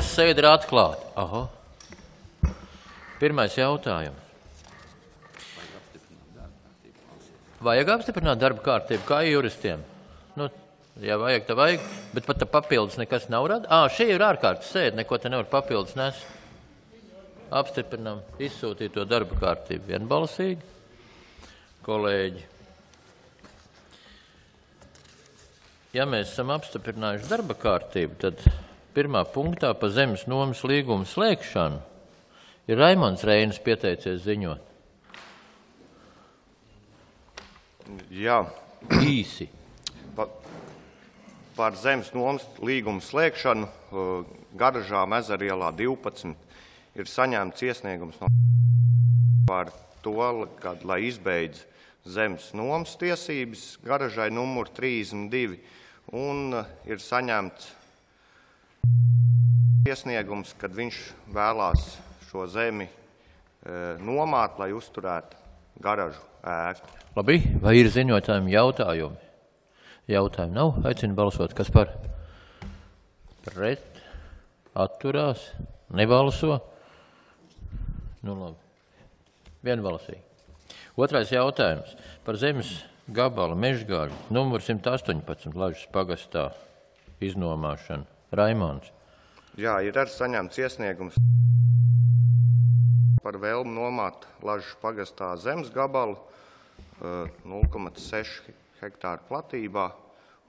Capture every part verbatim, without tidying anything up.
domas sēde ir atklāta. Aha. Pirmais jautājums. Vajag apstiprināt darba kārtību kā juristiem? Nu, ja vajag, tad vajag, bet pat papildus nekas nav rada. Ā, šī ir ārkārtas sēde, neko te nevar papildus nes. Apstiprinām, izsūtīt to darba kārtību vienbalsīgi. Kolēģi. Ja mēs esam apstiprinājuši darba kārtību, tad pirmā punktā pa zemes nomas līgumu slēgšanu ir Raimonds Reinis pieteicies ziņot. Jā. Īsi. Pa, par zemes nomas līgumu slēgšanu Garažām Ezerielā divpadsmit ir saņemts iesniegums no par to, kad, lai izbeidz zemes nomas tiesības garažai numur trīsdesmit divi un ir saņemts iesniegums, kad viņš vēlās šo zemi e, nomāt, lai uzturētu garažu ēku. Labi, vai ir ziņotājiem jautājumi? Jautājumi nav, aicinu balsot, kas par? Pret, atturās, nebalso? Nu labi, vienbalsīgi. Otrais jautājums par zemes gabala Mežgaļu, numur simt astoņpadsmit, Lažas pagastā iznomāšanu. Raimonds. Jā, ir arī saņemts iesniegums par vēlmu nomāt Lažas pagastā zemes gabalu nulle komats seši hektāru platībā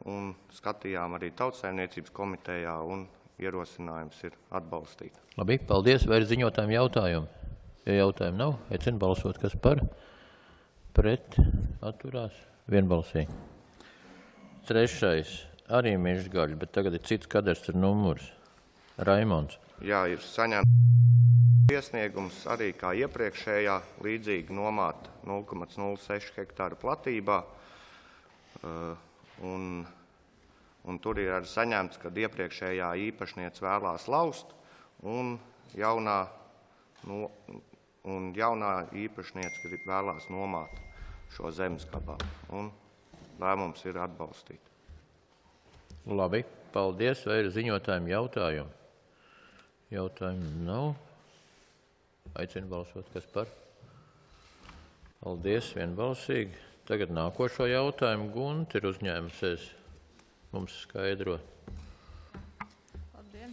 un skatījām arī Tautsaimniecības komitejā un ierosinājums ir atbalstīt. Labi, paldies. Vai ir ziņotājiem jautājumi? Ja jautājumi nav, aicinu balsot, kas par? Pret, atturās, vienbalsīgi. Trešais, arī Mežgaļa, bet tagad ir cits kadastru numurs. Raimonds. Jā, ir saņemts iesniegums arī kā iepriekšējā līdzīgi nomāt nulle komats nulle seši hektāru platībā. Un, un tur ir arī saņemts, kad iepriekšējā īpašniece vēlās laust un jaunā, no, un jaunā īpašniece vēlās nomāt šo zemes gabalu. Un lēmums ir atbalstīt. Labi, paldies. Vai ir ziņotājiem jautājumi? Jautājumu nav. Aicinu balsot, kas par? Paldies, vienbalsīgi. Tagad nākošo jautājumu Gunta ir uzņēmusies mums skaidrot. Labdien.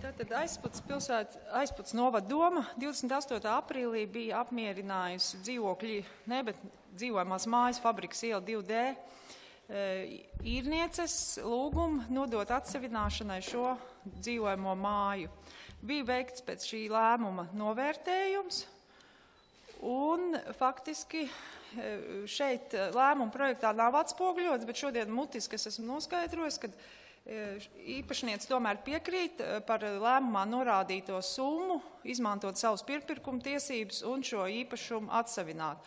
Tātad Aizputs pilsētas, Aizputs novada doma divdesmit astotā aprīlī bija apmierinājusi dzīvokļi, ne, bet dzīvojamās mājas fabrikas iela divi D īrnieces lūgumu nodot atsevināšanai šo dzīvojamo māju. Bija veikts pēc šī lēmuma novērtējums, un faktiski šeit lēmuma projektā nav atspoguļots, bet šodien mutiski es esmu noskaidrojis, ka īpašniece tomēr piekrīt par lēmumā norādīto summu, izmantot savus pirkuma tiesības un šo īpašumu atsevināt.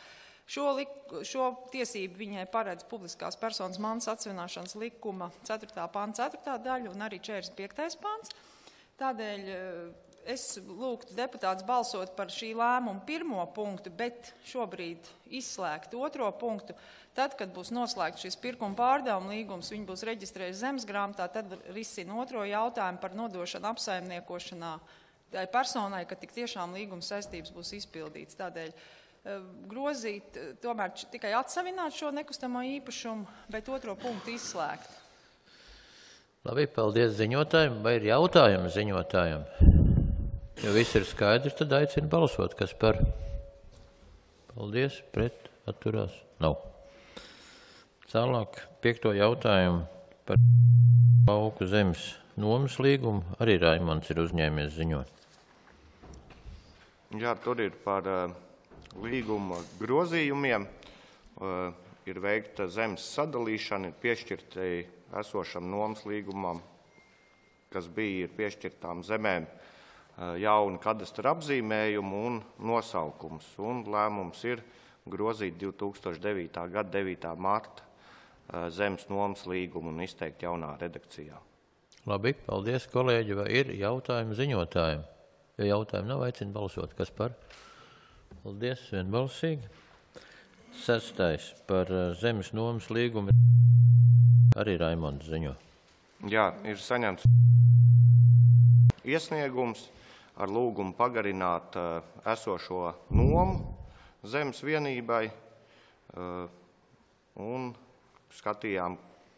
Šo, lik, šo tiesību viņai paredz publiskās personas mantas atsevināšanas likuma ceturtā panta ceturtā daļa un arī četrdesmit piektais pants. Tādēļ es lūgtu deputātus balsot par šī lēmuma pirmo punktu, bet šobrīd izslēgt otro punktu. Tad, kad būs noslēgts šis pirkuma pārdevuma līgums, viņi būs reģistrējuši zemes grāmatā, tad risina otro jautājumu par nodošanu apsaimniekošanā tai personai, ka tik tiešām līguma saistības būs izpildīts. Tādēļ grozīt, tomēr tikai atsavināt šo nekustamo īpašumu, bet otro punktu izslēgt. Labi, paldies ziņotājiem. Vai ir jautājumi ziņotājiem? Ja viss ir skaidrs, tad aicinu balsot, kas par? Paldies, pret, atturās? Nav. Tālāk piekto jautājumu par lauku zemes nomas līgumu. Arī Raimonds ir uzņēmies ziņot. Jā, tur ir par uh, līguma grozījumiem. Uh, ir veikta zemes sadalīšana, ir piešķirti esošam nomas līgumam, kas bija ir piešķirtām zemēm uh, jauni kadastra apzīmējumu un nosaukums. Un lēmums ir grozīt divi tūkstoši devītā gada devītā marta uh, zemes nomas līgumu un izteikt jaunā redakcijā. Labi, paldies, kolēģi. Vai ir jautājumi ziņotājiem? Ja jautājumi nav, aicinu balsot. Kas par? Paldies, vienbalsīgi. Sestais par zemes nomas līgumu. Arī Raimonds ziņo. Jā, ir saņemts iesniegums ar lūgumu pagarināt esošo nomu zemes vienībai, un skatījām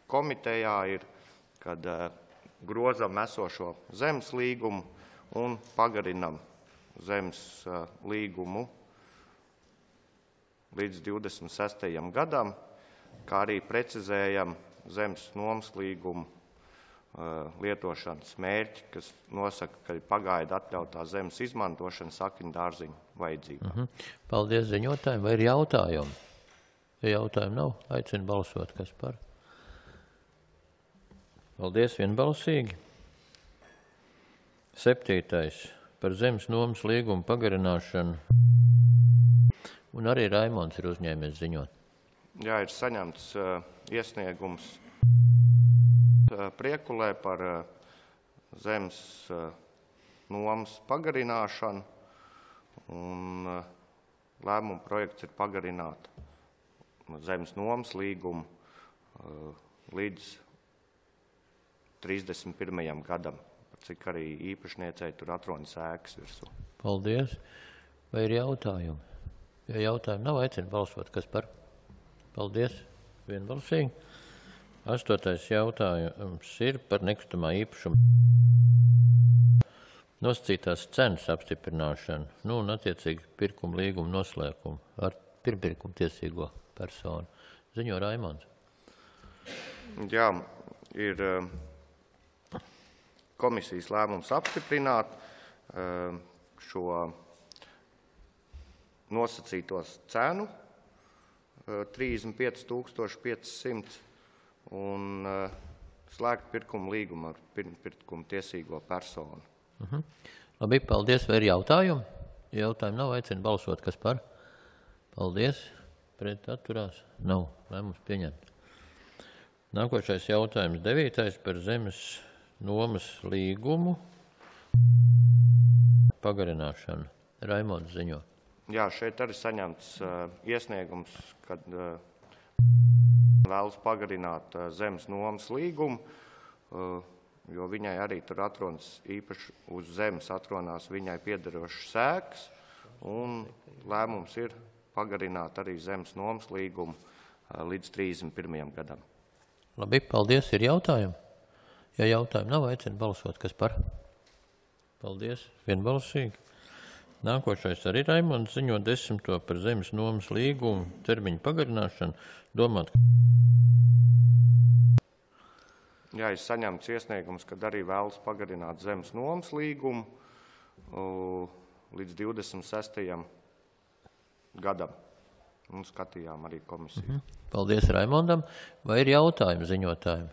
komitejā ir, kad grozam esošo zemes līgumu un pagarinam zemes līgumu līdz divdesmit sestajam gadam, kā arī precizējam zemes nomas līgumu lietošanas mērķi, kas nosaka, ka ir pagaida atļautā zemes izmantošana sakņu dārziņu vajadzībām. Mhm. Paldies ziņotājiem. Vai ir jautājumi? Ja jautājumi nav, aicinu balsot, kas par. Paldies vienbalsīgi. Septītais par zemes nomas līgumu pagarināšanu. Un arī Raimonds ir uzņēmies ziņot. Jā, ir saņemts uh, iesniegums uh, Priekulē par uh, zemes uh, nomas pagarināšanu, un uh, lēmuma projekts ir pagarināt zemes nomas līgumu uh, līdz trīsdesmit pirmajam gadam, cik arī īpašniecei tur atrodas ēkas virsū. Paldies. Vai ir jautājumi? Ja jautājumi nav, aicinu balsot, kas par. Paldies. Vienbalsīgi. Astotais jautājums ir par nekustamā īpašuma nosacītās cenas apstiprināšanu, nu un attiecīgi pirkuma līguma noslēgumu ar pirmpirkuma tiesīgo personu. Ziņo Raimonds. Jā, ir komisijas lēmums apstiprināt šo nosacītos cenu trīsdesmit pieci tūkstoši pieci simti un slēgt pirkuma līgumu ar pirmpirkuma tiesīgo personu. Mhm. Labi, paldies. Vai ir jautājumi? Ja jautājumi nav, aicinu balsot, kas par. Paldies. Pret atturās? Nav. Lēmums pieņemt. Nākošais jautājums devītais par zemes nomas līgumu pagarināšanu. Raimonds ziņo. Jā, šeit arī saņemts uh, iesniegums, kad uh, vēlas pagarināt uh, zemes nomas līgumu, uh, jo viņai arī tur atrodas īpaši uz zemes atronās viņai piederošas ēkas, un lēmums ir pagarināt arī zemes nomas līgumu uh, līdz trīsdesmit pirmajam gadam. Labi, paldies. Ir jautājumi? Ja jautājumi nav, aicinu balsot, kas par. Paldies. Vienbalsīgi. Nākošais arī Raimonds ziņo desmito par zemes nomas līgumu termiņu pagarināšanu. Domāt. Jā, ir saņemts iesniegums, kad arī vēlas pagarināt zemes nomas līgumu uh, līdz divdesmit sestajam gadam. Un skatījām arī komisiju. Mhm. Paldies Raimondam. Vai ir jautājumi ziņotājiem?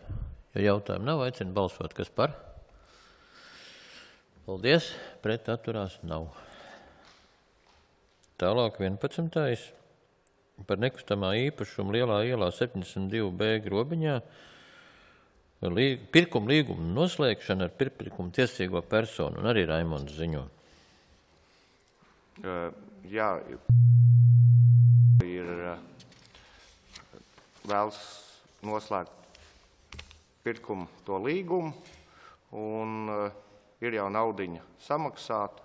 Ja jautājumi nav, aicinu balsot, kas par. Paldies. Pret atturās nav. Tālāk vienpadsmitais par nekustamā īpašumu Lielā ielā septiņdesmit divi B grobiņā līg, pirkuma līguma noslēgšana ar pirkuma tiesīgo personu, un arī Raimonds ziņo. Uh, jā, ir uh, vēlas noslēgt pirkumu to līgumu, un uh, ir jau naudiņa samaksāt.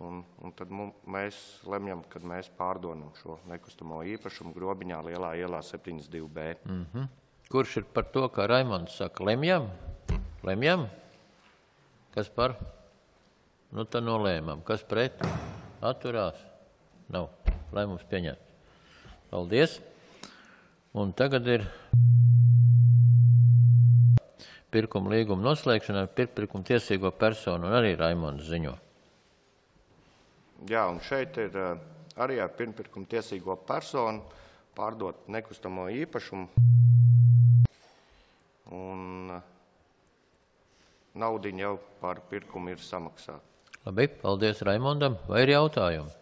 Un, un tad mums, mēs lemjam, kad mēs pārdonam šo nekustamo īpašumu grobiņā Lielā ielā septiņdesmit divi B. Mm-hmm. Kurš ir par to, kā Raimonds saka, lemjam? Lemjam? Kas par? Nu, tad nolēmam. Kas pret? Atturās? Nav. Lēmums pieņemts. Paldies. Un tagad ir pirkuma līguma noslēgšana ar pirkuma tiesīgo personu, un arī Raimonds ziņo. Jā, un šeit ir uh, arī ar pirmpirkuma tiesīgo personu pārdot nekustamo īpašumu, un uh, naudiņa jau par pirkumu ir samaksāta. Labi, paldies Raimondam. Vai ir jautājumi?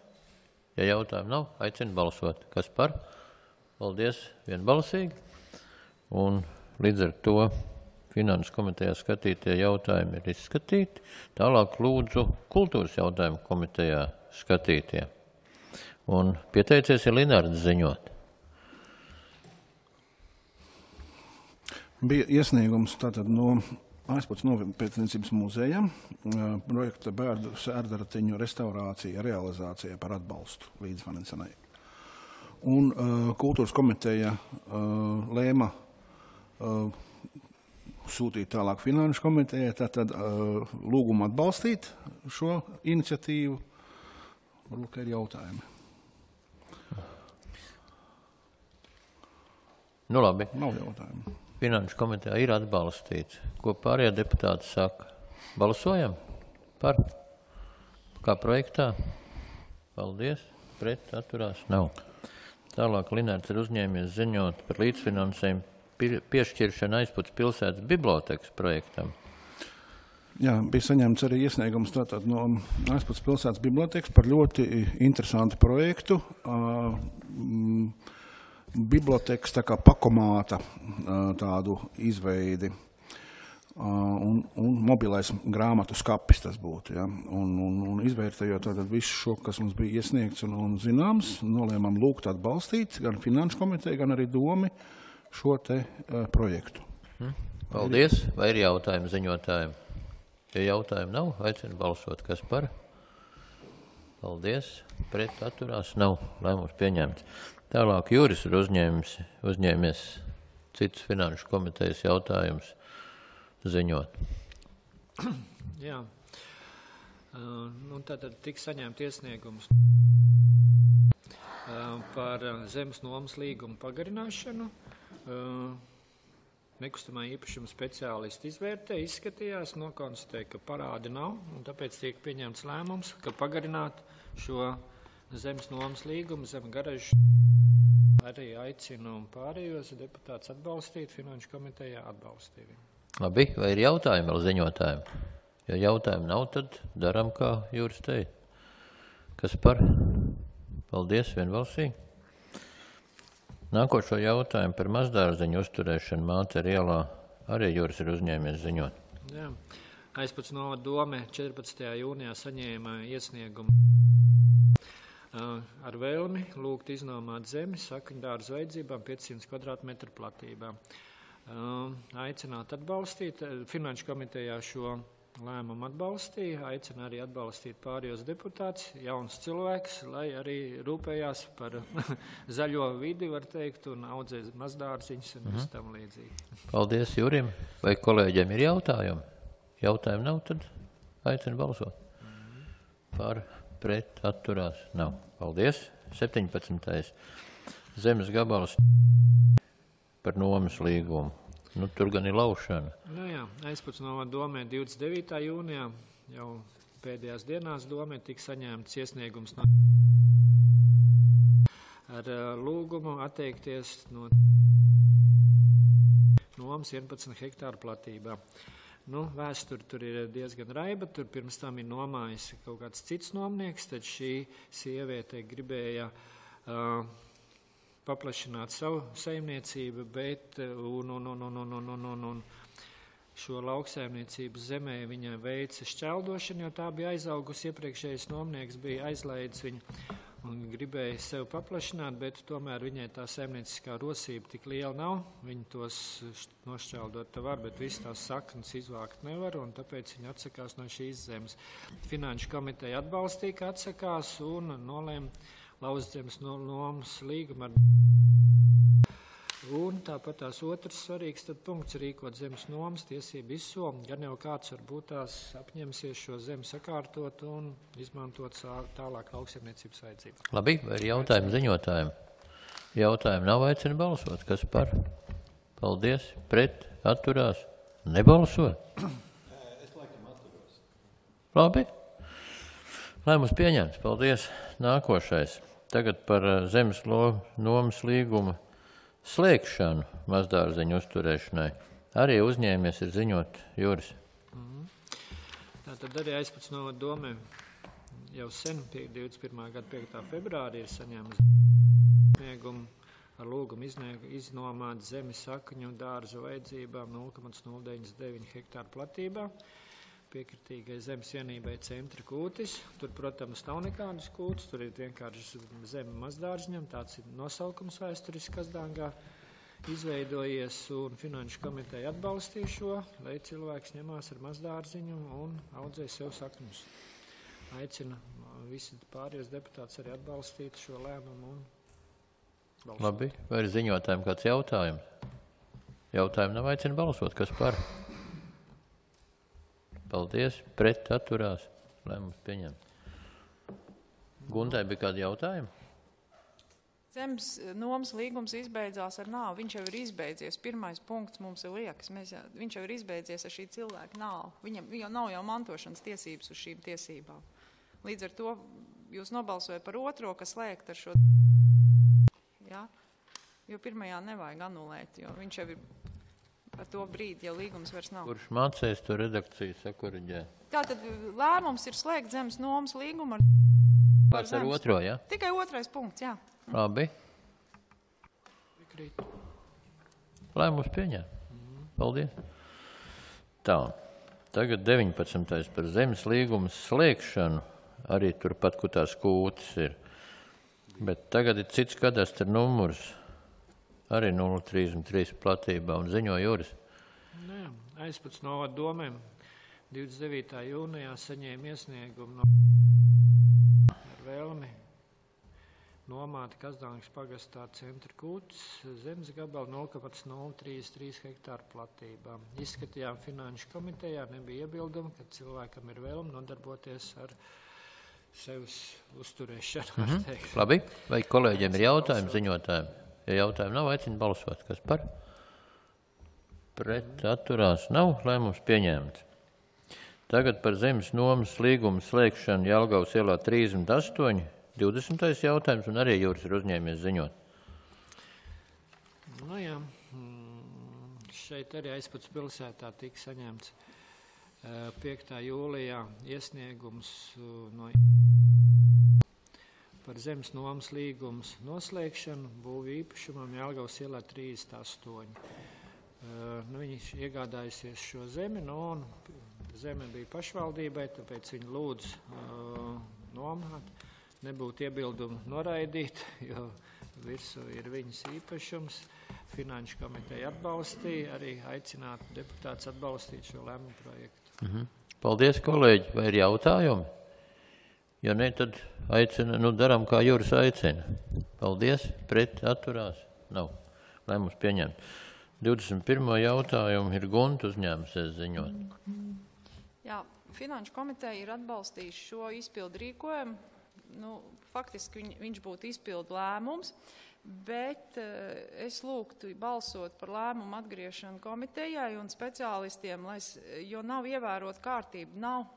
Ja jautājumi nav, aicinu balsot. Kas par? Paldies vienbalsīgi. Un līdz ar to Finanses komitejā skatītie jautājumi ir izskatīti. Tālāk lūdzu kultūras jautājumu komitejā skatītie. Un pieteicies ir Linārds ziņot. Bija iesniegums tātad no Aizpats nopietniecības muzejam projekta bērnu sērdaratiņu restaurācija, realizācija par atbalstu līdzfinansanai. Un uh, kultūras komiteja uh, lēma uh, sūtīt tālāk finanšu komitejai, tātad uh, lūgumu atbalstīt šo iniciatīvu. Varbūt, ka ir jautājumi. Nu labi. Nav jautājumu. Finanšu komitejā ir atbalstīts. Ko pārējie deputāti saka? Balsojam par? Kā projektā? Paldies. Pret atturās? Nav. Tālāk Linārds ir uzņēmies ziņot par līdzfinansējumu piešķiršanu Aizpats pilsētas bibliotekas projektam. Jā, bija saņemts arī iesniegums tātad no Aizpats pilsētas bibliotekas par ļoti interesantu projektu. Uh, mm, bibliotekas tā kā pakomāta uh, tādu izveidi uh, un, un mobilais grāmatu skapis tas būtu. Ja? Un, un, un izvērtējot tātad visu šo, kas mums bija iesniegts un, un zināms, nolēmām lūgt atbalstīt gan finanšu komiteju, gan arī domi šo te uh, projektu. Hmm. Paldies. Vai ir jautājumi ziņotājiem? Ja jautājumi nav, aicinu balsot. Kas par? Paldies. Pret atturās? Nav. Lēmums pieņemts. Tālāk Juris ir uzņēmis, uzņēmies citus finanšu komitejas jautājumus ziņot. Jā. Uh, nu, tātad tika saņemt iesniegums uh, par zemes nomas līgumu pagarināšanu. Uh, Nekustamā īpašuma speciālisti izvērtē, izskatījās, nokonstatēja, ka parādi nav, un tāpēc tiek pieņemts lēmums, ka pagarināt šo zemes nomas līgumu, zem garažu. Arī aicinu pārējos deputātus atbalstīt, finanšu komitejā atbalstīt. Labi, vai ir jautājumi vēl ziņotājiem? Ja jautājumi nav, tad daram, kā Jūris teica. Kas par? Paldies, vienbalsīgi. Nākošo jautājumu par mazdārziņu uzturēšanu Mācer ielā arī Jūris ir uzņēmies ziņot. Jā. Aizpats novada dome četrpadsmitajā jūnijā saņēma iesniegumu ar vēlmi lūgt iznomāt zemi sakņu dārza vajadzībām piecsimt kvadrātmetru platībā. Aicināt atbalstīt, finanšu komitejā šo lēmumu atbalstīja, aicina arī atbalstīt pārējos deputātus, jauns cilvēks, lai arī rūpējās par zaļo vidi, var teikt, un audzēs mazdārziņus un viss tam līdzīgi. Paldies Jurim. Vai kolēģiem ir jautājumi? Jautājumi nav, tad aicinu balsot. Par, pret, atturās? Nav. Paldies. septiņpadsmitais Zemes gabals par nomas līgumu. Nu, tur gan ir laušana. Nu jā, Aizpats novada domē divdesmit devītā jūnijā, jau pēdējās dienās domē tika saņēmts iesniegums no ar lūgumu atteikties no nomas vienpadsmit hektāru platībā. Nu, vēsturi tur ir diezgan raiba, tur pirms tam ir nomājis kaut kāds cits nomnieks, tad šī sieviete gribēja uh, paplašināt savu saimniecību, bet un, un, un, un, un, un, un, un, un šo lauksaimniecības zemē viņa veica šķeldošanu, jo tā bija aizaugusi, iepriekšējais nomnieks bija aizlaidis viņu un gribēja sev paplašināt, bet tomēr viņai tā saimnieciskā rosība tik liela nav. Viņi tos nošķeldot var, bet visu tās saknes izvākt nevar, un tāpēc viņi atsakās no šīs zemes. Finanšu komiteja atbalstīja, ka atsakās, un nolēma lauzt zemes nomas līgumu ar. Un tāpat tās otrs svarīgs tad punkts rīkot zemes nomas tiesību izsomu, gan jau kāds varbūt tās apņemsies šo zemi sakārtot un izmantot tālāk lauksaimniecības vajadzību. Labi, vai ir jautājumi ziņotājiem? Jautājumi nav, aicina balsot. Kas par? Paldies. Pret? Atturās? Nebalso? Es laikam atturos. Labi. Lēmums pieņemts. Paldies. Nākošais. Tagad par zemes nomas līgumu slēgšanu mazdārziņu uzturēšanai. Arī uzņēmies ir ziņot Juris. Mm. Tātad arī Aizpats novada domē jau sen, divdesmit pirmā gada piektā februārī ir saņēmis sniegumu ar lūgumu iznomāt zemi sakņu dārza vajadzībām nulle komats nulle deviņdesmit deviņi hektāru platībā. Piekritīgai zemes vienībai centra kūtis. Tur, protams, nav nekādas kūtis, tur ir vienkārši zeme mazdārziņam, tāds ir nosaukums vēsturiski Kazdāngā. izveidojies, un Finanšu komiteja atbalstīja šo, lai cilvēks ņemās ar mazdārziņu un audzē sev sakņus. Aicinu visi pārējos deputātus arī atbalstīt šo lēmumu un balsot. Labi, vai ir ziņotājiem kāds jautājums? Jautājumi nav, aicinu balsot, kas par? Paldies, pret atturās, lēmums pieņem. Guntai bija kādi jautājumi? Zemes nomas līgums izbeidzās ar nāvu. Viņš jau ir izbeidzies. Pirmais punkts mums ir liekas. Mēs jau, viņš jau ir izbeidzies ar šī cilvēka nāvu. Viņam jau nav jau mantošanas tiesības uz šīm tiesībām. Līdz ar to jūs nobalsojat par otro, kas slēgt ar šo. Ja? Jo pirmajā nevajag anulēt, jo viņš jau ir ar to brīdi, ja līgums vairs nav. Kurš mācēs to redakciju sakuriģē? Tātad lēmums ir slēgt zemes nomas līgumu ar. Pats ar otro, ja? Tikai otrais punkts, jā. Labi. Lēmums pieņem. Paldies. Tā, tagad deviņpadsmitais par zemes līgumu slēgšanu. Arī turpat, kur tās kūtas ir. Bet tagad ir cits kadastra numurs. Arī nulle trīsdesmit trīs platībā un ziņo Juris. Nē, Aizpats novada domēm divdesmit devītā jūnijā saņēma iesniegumu no ar vēlmi nomāta Kazdāngas pagastā centra kūtas zemes gabala nulle nulle trīsdesmit trīs hektāru platībā. Izskatījām Finanšu komitejā, nebija iebildumi, ka cilvēkam ir vēlme nodarboties ar sevis uzturēšanu. Mm-hmm. Labi, vai kolēģiem ir jautājumi ziņotājiem? Ja jautājumi nav, aicinu balsot. Kas par? Pret atturās nav, lēmums pieņemts. Tagad par zemes nomas līgumu slēgšanu Jelgavas ielā trīsdesmit astoņi. divdesmitais jautājums, un arī Jūris ir uzņēmies ziņot. Nu jā, šeit arī Aizpats pilsētā tika saņemts piektā jūlijā iesniegums no par zemes nomas līgumus noslēgšanu būvu īpašumam Jelgavas ielā trīsdesmit astoņi. Nu, viņi iegādājusies šo zemi, nu, un zeme bija pašvaldībai, tāpēc viņi lūdz uh, nomāt. Nebūtu iebildumu noraidīt, jo virsū ir viņas īpašums. Finanšu komiteja atbalstīja, arī aicinātu deputātus atbalstīt šo lēmumu projektu. Mhm. Paldies, kolēģi. Vai ir jautājumi? Ja ne, tad aicina, nu daram, kā Juris aicina. Paldies, pret atturās. Nav. Lēmums pieņemt. divdesmit pirmo jautājumu ir Gunta uzņēmusies ziņot. Jā, Finanšu komiteja ir atbalstījuši šo izpildu rīkojumu. Nu, faktiski viņ, viņš būtu izpildu lēmums, bet uh, es lūgtu balsot par lēmumu atgriešanu komitejai un speciālistiem, lai, jo nav ievērot kārtību, nav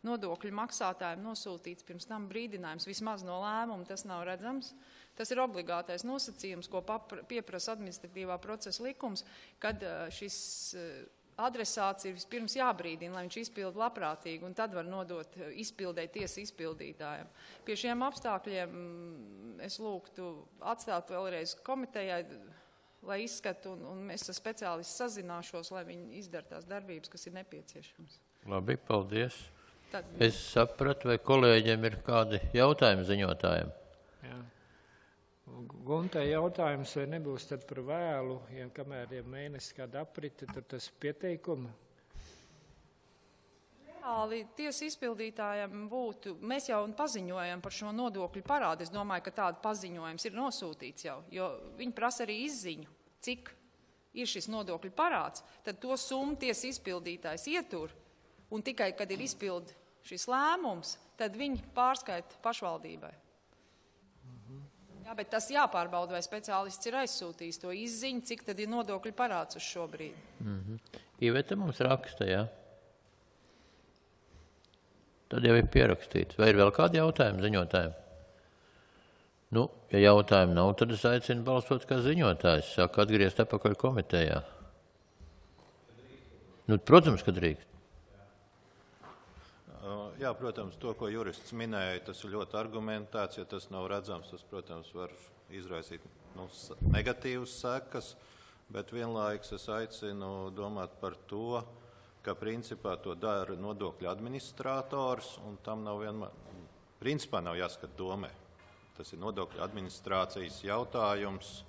nodokļu maksātājiem nosūtīts pirms tam brīdinājums, vismaz no lēmuma tas nav redzams. Tas ir obligātais nosacījums, ko papra, pieprasa administratīvā procesa likums, kad uh, šis uh, adresāts ir vispirms jābrīdina, lai viņš izpilda labprātīgi, un tad var nodot izpildē tiesa izpildītājiem. Pie šiem apstākļiem es lūgtu atstāt vēlreiz komitejai, lai izskatu, un, un es ar speciālistu sazināšos, lai viņi izdara tās darbības, kas ir nepieciešams. Labi, paldies. Tad... Es sapratu, vai kolēģiem ir kādi jautājumi ziņotājiem? Jā. Guntai jautājums, vai nebūs tad par vēlu, ja kamēr ir mēnesis kāda aprite, tad tas pieteikuma? Reāli tiesa izpildītājiem būtu, mēs jau paziņojam par šo nodokļu parādu, es domāju, ka tāda paziņojums ir nosūtīts jau, jo viņi prasa arī izziņu, cik ir šis nodokļu parāds, tad to summu tiesa izpildītājs ietur, un tikai, kad ir izpild šis lēmums, tad viņi pārskaita pašvaldībai. Jā, bet tas jāpārbauda, vai speciālists ir aizsūtījis to izziņu, cik tad ir nodokļu parāds uz šo brīdi. Mm-hmm. Iveta mums raksta, jā? Tad jau ir pierakstīts. Vai ir vēl kādi jautājumi ziņotājiem? Nu, ja jautājumi nav, tad es aicinu balsot kā ziņotājs. Saka, atgriezt atpakaļ komitejā. Nu, protams, ka drīkst. Jā, protams, to, ko jurists minēja, tas ir ļoti argumentēts. Ja tas nav redzams, tas, protams, var izraisīt nu, negatīvas sekas, bet vienlaiks es aicinu domāt par to, ka principā to dara nodokļu administrators, un tam nav vienmēr, principā nav jāskat domē. Tas ir nodokļu administrācijas jautājums,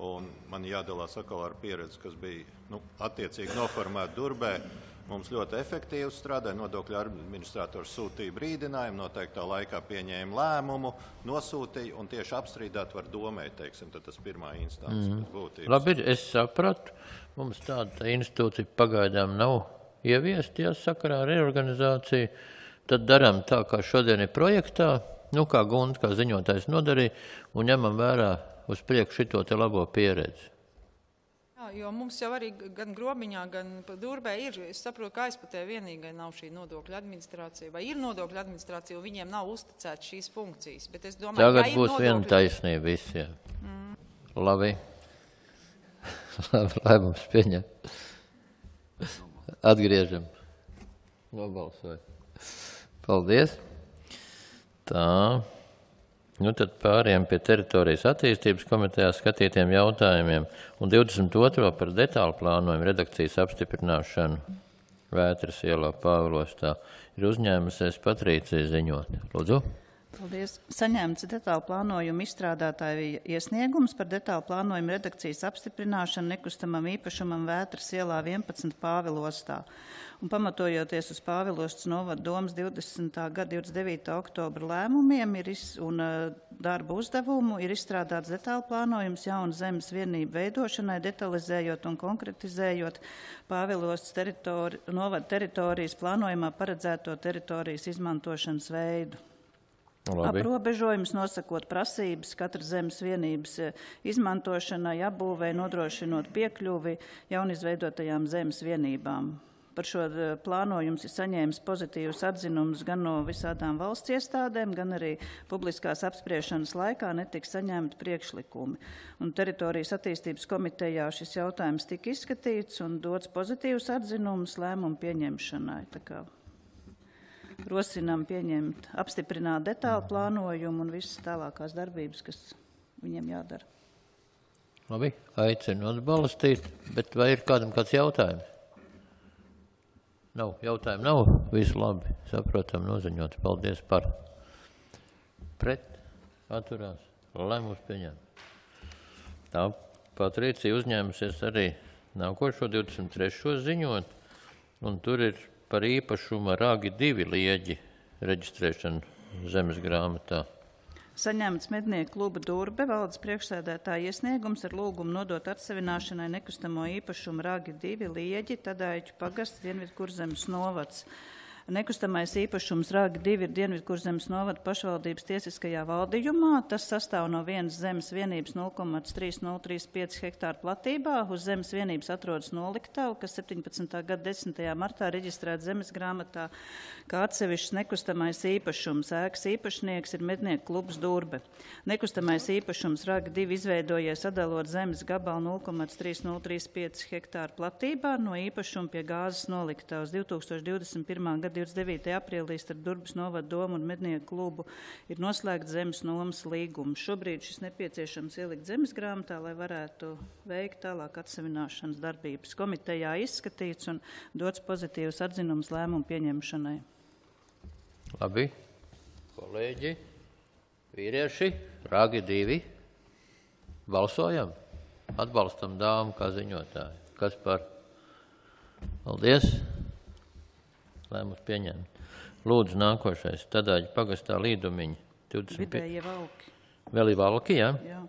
Un man jādalās atkal ar pieredzi, kas bija nu, attiecīgi noformēta Durbē. Mums ļoti efektīvi strādāja, nodokļu administrators sūtīja brīdinājumu, noteiktā laikā pieņēma lēmumu, nosūtīja un tieši apstrīdāt var domē, teiksim, tad tas pirmā instants mm. būtības. Labi, es sapratu, mums tāda institūcija pagaidām nav ieviesta, ja sakarā ar reorganizāciju, tad darām tā, kā šodien ir projektā, nu kā Gunta, kā ziņotājs nodarīja, un ņemam vērā uz priekšu šito te labo pieredzi. Jo mums jau arī gan Grobiņā, gan Durbē ir, es saprotu, ka Aizputē vienīgai nav šī nodokļu administrācija, vai ir nodokļu administrācija, un viņiem nav uzticēts šīs funkcijas. Bet es domāju, Tagad ja būs nodokļu... viena taisnība visiem. Mm. Labi. Lai mums pieņem. Atgriežam. Nobalsoju. Paldies. Tā. Nu, tad pāriem pie teritorijas attīstības komitejā skatītiem jautājumiem un divdesmit otro par detālu plānojumu redakcijas apstiprināšanu Vētras ielā Pāvilostā ir uzņēmusies Patrīcija ziņot. Lūdzu. Paldies. Saņemts detālu plānojumu izstrādātāju iesniegums par detālu plānojumu redakcijas apstiprināšanu nekustamam īpašumam Vētras ielā vienpadsmit Pāvilostā. Un pamatojoties uz Pāvilostas novada domas divdesmitā gada divdesmit devītā oktobra lēmumiem ir iz, un uh, darba uzdevumu, ir izstrādāts detālu plānojums jaunu zemes vienību veidošanai, detalizējot un konkretizējot Pāvilostas teritori, novada teritorijas plānojumā paredzēto teritorijas izmantošanas veidu. Labi. Aprobežojums nosakot prasības katras zemes vienības izmantošanai, apbūvei, nodrošinot piekļuvi jaunizveidotajām zemes vienībām. Par šo plānojums ir saņēmis pozitīvus atzinumus gan no visādām valsts iestādēm, gan arī publiskās apspriešanas laikā netika saņemti priekšlikumi. Un teritorijas attīstības komitejā šis jautājums tika izskatīts un dots pozitīvus atzinumus lēmumu pieņemšanai. Tā kā rosinām pieņemt, apstiprināt detālu plānojumu un visas tālākās darbības, kas viņiem jādara. Labi, aicinu atbalstīt, bet vai ir kādam kāds jautājums? Nav, jautājumu nav, visu labi, saprotam, noziņot, paldies par. Pret, atturās, lēmums pieņem. Tā Patricija uzņēmusies arī nākošo divdesmit trešo ziņot, un tur ir par īpašuma Ragi divi lieģi reģistrēšanu zemes grāmatā. Saņemts Mednieku kluba Durbe valdes priekšsēdētāja iesniegums ar lūgumu nodot atsevināšanai nekustamo īpašumu Ragi divi lieģi, Tadaiķu pagasts, Dienvidkurzemes novads. Nekustamais īpašums Ragi divi ir Dienvidkurzemes novada pašvaldības tiesiskajā valdījumā. Tas sastāv no vienas zemes vienības nulle komats trīs nulle trīs pieci hektāru platībā. Uz zemes vienības atrodas noliktava, kas septiņpadsmitā gada desmitajā martā reģistrēta zemes grāmatā kā atsevišķs nekustamais īpašums. Ēkas īpašnieks ir Mednieku klubs Durbe. Nekustamais īpašums Ragi divi izveidojies sadalot zemes gabalu nulle komats trīs nulle trīs pieci hektāru platībā no īpašuma pie gāzes noliktavas. divtūkstoš divdesmit pirmā gada divdesmit devītajā aprīlī starp Durbes novada domu un Mednieku klubu ir noslēgts zemes nomas līgums. Šobrīd šis nepieciešams ielikt zemes grāmatā, lai varētu veikt tālāk atsevināšanas darbības. Komitejā izskatīts un dots pozitīvs atzinums lēmumu pieņemšanai. Labi, kolēģi, vīrieši, Ragi divi, balsojam, atbalstam dāmu kā ziņotāju. Kas par? Paldies! Lēmums pieņemt. Lūdzu, nākošais. Tadaiķu pagastā līdumiņi. divdesmit Vidējie valki. Vēl ir valki, jā? Jā.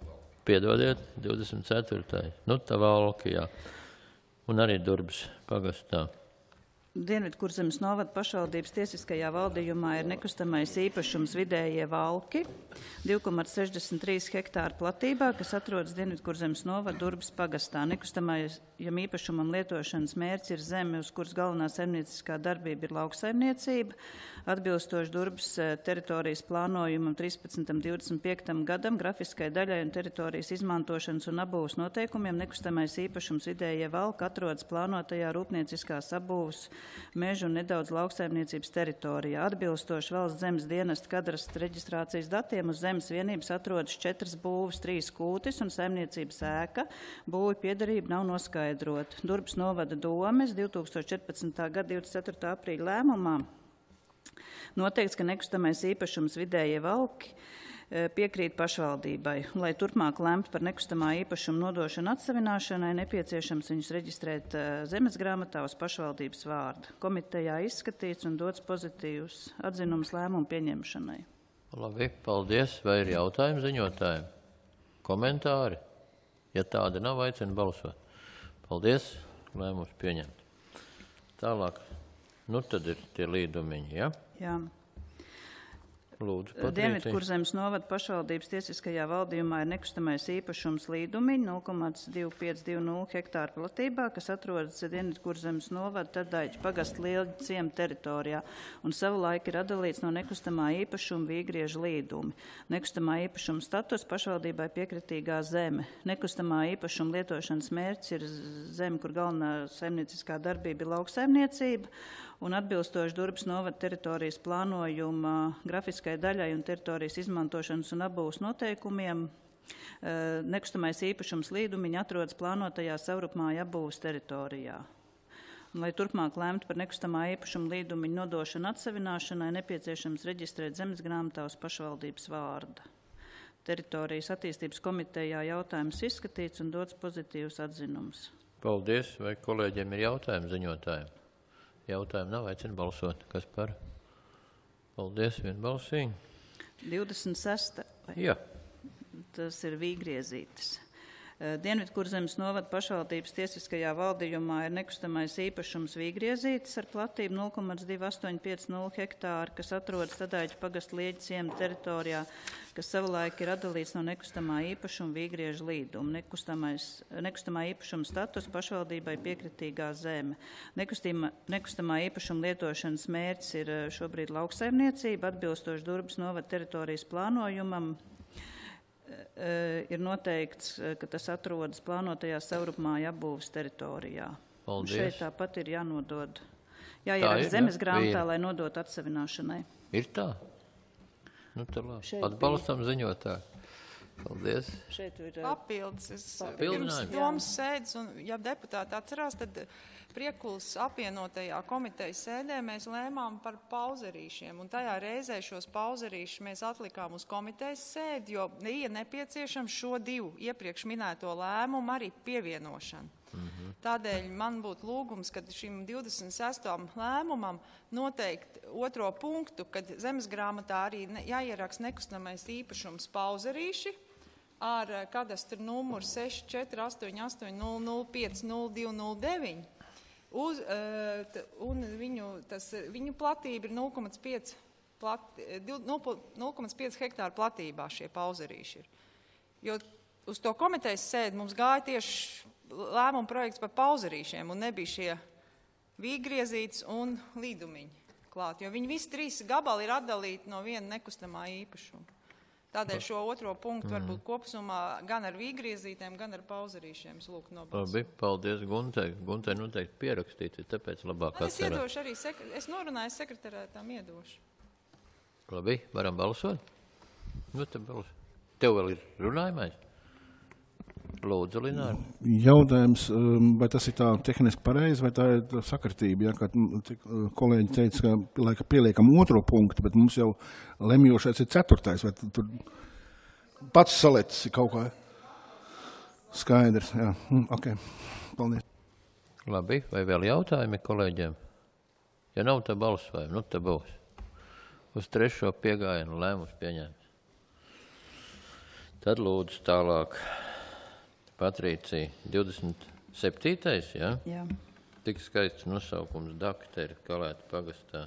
Piedodiet, divdesmit ceturtais. Nu, tā valki, jā. Un arī Durbes pagastā. Dienvidkurzemes novada pašvaldības tiesiskajā valdījumā ir nekustamais īpašums Vidējie valki, divi komats sešdesmit trīs hektāru platībā, kas atrodas Dienvidkurzemes novada Durbes pagastā. Nekustamajam īpašumam lietošanas mērķis ir zeme, uz kuras galvenā saimnieciskā darbība ir lauksaimniecība. Atbilstoši Durbes teritorijas plānojumam trīspadsmitam divdesmit piektam gadam, grafiskai daļai un teritorijas izmantošanas un apbūves noteikumiem nekustamais īpašums Vidējie valki atrodas plānotajā rūpnieciskās apbūves mežu un nedaudz lauksaimniecības teritorijā. Atbilstoši valsts zemes dienesta kadastra reģistrācijas datiem uz zemes vienības atrodas četras būves, trīs kūtis un saimniecības ēka. Būvi piederība nav noskaidrota. Durbes novada domes divtūkstoš četrpadsmitā gada divdesmit ceturtā aprīļa lēmumā noteikts, ka nekustamais īpašums Vidējie valki piekrīt pašvaldībai. Lai turpmāk lemtu par nekustamā īpašuma nodošanu atsavināšanai, nepieciešams viņus reģistrēt zemes grāmatā uz pašvaldības vārdu. Komitejā izskatīts un dots pozitīvs atzinums lēmumu pieņemšanai. Labi, paldies. Vai ir jautājumi ziņotājiem? Komentāri? Ja tāda nav, aicinu balsot. Paldies. Lēmums pieņemt. Tālāk. Nu tad ir tie līdumiņi, ja? Jā. Lūdzu, Patrīcija. Dienvidkurzemes novada pašvaldības tiesiskajā valdījumā ir nekustamais īpašums līdumiņi nulle komats divi pieci divi nulle hektāru platībā, kas atrodas Dienvidkurzemes novada Tadaiķa pagasta Lielģa ciema teritorijā un savulaik ir atdalīts no nekustamā īpašuma Vīgrieža līdumi. Nekustamā īpašuma status pašvaldībai piekritīgā zeme. Nekustamā īpašuma lietošanas mērķis ir zeme, kur galvenā saimnieciskā darbība ir lauksaimniecība, un atbilstoši Durbes novada teritorijas plānojuma grafiskai daļai un teritorijas izmantošanas un apbūves noteikumiem, nekustamais īpašums līdumiņi atrodas plānotajā savrupmāju apbūves teritorijā. Un, lai turpmāk lemtu par nekustamā īpašuma līdumiņu nodošanu atsavināšanai, nepieciešams reģistrēt zemes grāmatā uz pašvaldības vārda. Teritorijas attīstības komitejā jautājums izskatīts un dots pozitīvs atzinums. Paldies. Vai kolēģiem ir jautājumi ziņotājiem? Jautājumu nav, aicinu balsot. Kas par? Paldies, vienbalsīgi. divdesmit sesta. Jā. Tas ir Vīgriezītis. Dienvidkurzemes novada pašvaldības tiesiskajā valdījumā ir nekustamais īpašums Vīgriezītis ar platību nulle komats divi astoņi pieci nulle hektāru, kas atrodas Tadaiķa pagasta Lielģa ciema teritorijā, kas savulaik ir atdalīts no nekustamā īpašuma Vīgrieža līduma. Nekustamā īpašuma status pašvaldībai piekritīgā zeme. Nekustamā, nekustamā īpašuma lietošanas mērķis ir šobrīd lauksaimniecība, atbilstoši Durbes novada teritorijas plānojumam. Ir noteikts, ka tas atrodas plānotajā savrupmāju apbūves teritorijā. Paldies. Šeit tāpat ir jānodod, jāieraksta zemes grāmatā, lai nodot atsavināšanai. Ir tā? Nu, tā labi. Šeit Atbalstam ziņotāju. Paldies. Šeit ir Papildus. Es Papildinājums. pirms domas sēdes, un ja deputāti atcerās, tad Priekulas apvienotajā komitejas sēdē mēs lēmām par pauzerīšiem, un tajā reizē šos pauzerīšus mēs atlikām uz komitejas sēdi, jo bija nepieciešams šo divu iepriekš minēto lēmumu arī pievienošanu. Mm-hmm. Tādēļ man būtu lūgums, kad šim divdesmit sestajam lēmumam noteikt otro punktu, kad zemes grāmatā arī ne, jāieraksta nekustamais īpašums pauzerīši ar kadastra numuru seši četri astoņi astoņi nulle nulle pieci nulle divi nulle deviņi. Uz, uh, t, un viņu, tas, viņu platība ir nulle komats pieci hektāru platībā šie pauzerīši ir. Jo uz to komitejas sēdi mums gāja tieši lēmuma projekts par pauzerīšiem un nebija šie Vīgriezītis un līdumiņi klāt, jo viņi visi trīs gabali ir atdalīti no viena nekustamā īpašuma. Tādēļ šo otro punktu mm. varbūt kopsumā gan ar Vīgriezītēm, gan ar pauzerīšiem lūk nobalsot. Labi, paldies Guntai. Guntai noteikti pierakstīt, tāpēc labāk atcerēt. Es iedošu arī, sekre... es norunāju sekretariātām iedošu. Labi, varam balsot? Nu, te balsot. Tev vēl ir runājumais? Lūdzu, Lināra. Jautājums, vai tas ir tā tehniski pareizi, vai tā ir sakritība, ja, kad kolēģi teica, ka laika pieliekam otro punktu, bet mums jau lemjošais ir ceturtais, vai tur pats salicis kaut kā skaidrs, jā, ok, paldies. Labi, vai vēl jautājumi kolēģiem? Ja nav, tā balsojam, nu tā būs. Uz trešo piegājienu lēmums pieņēms. Tad lūdzu tālāk. Patrīcija, divdesmit septītais, jā? Jā. Tik skaists nosaukums Dakteri, Kalēta pagastā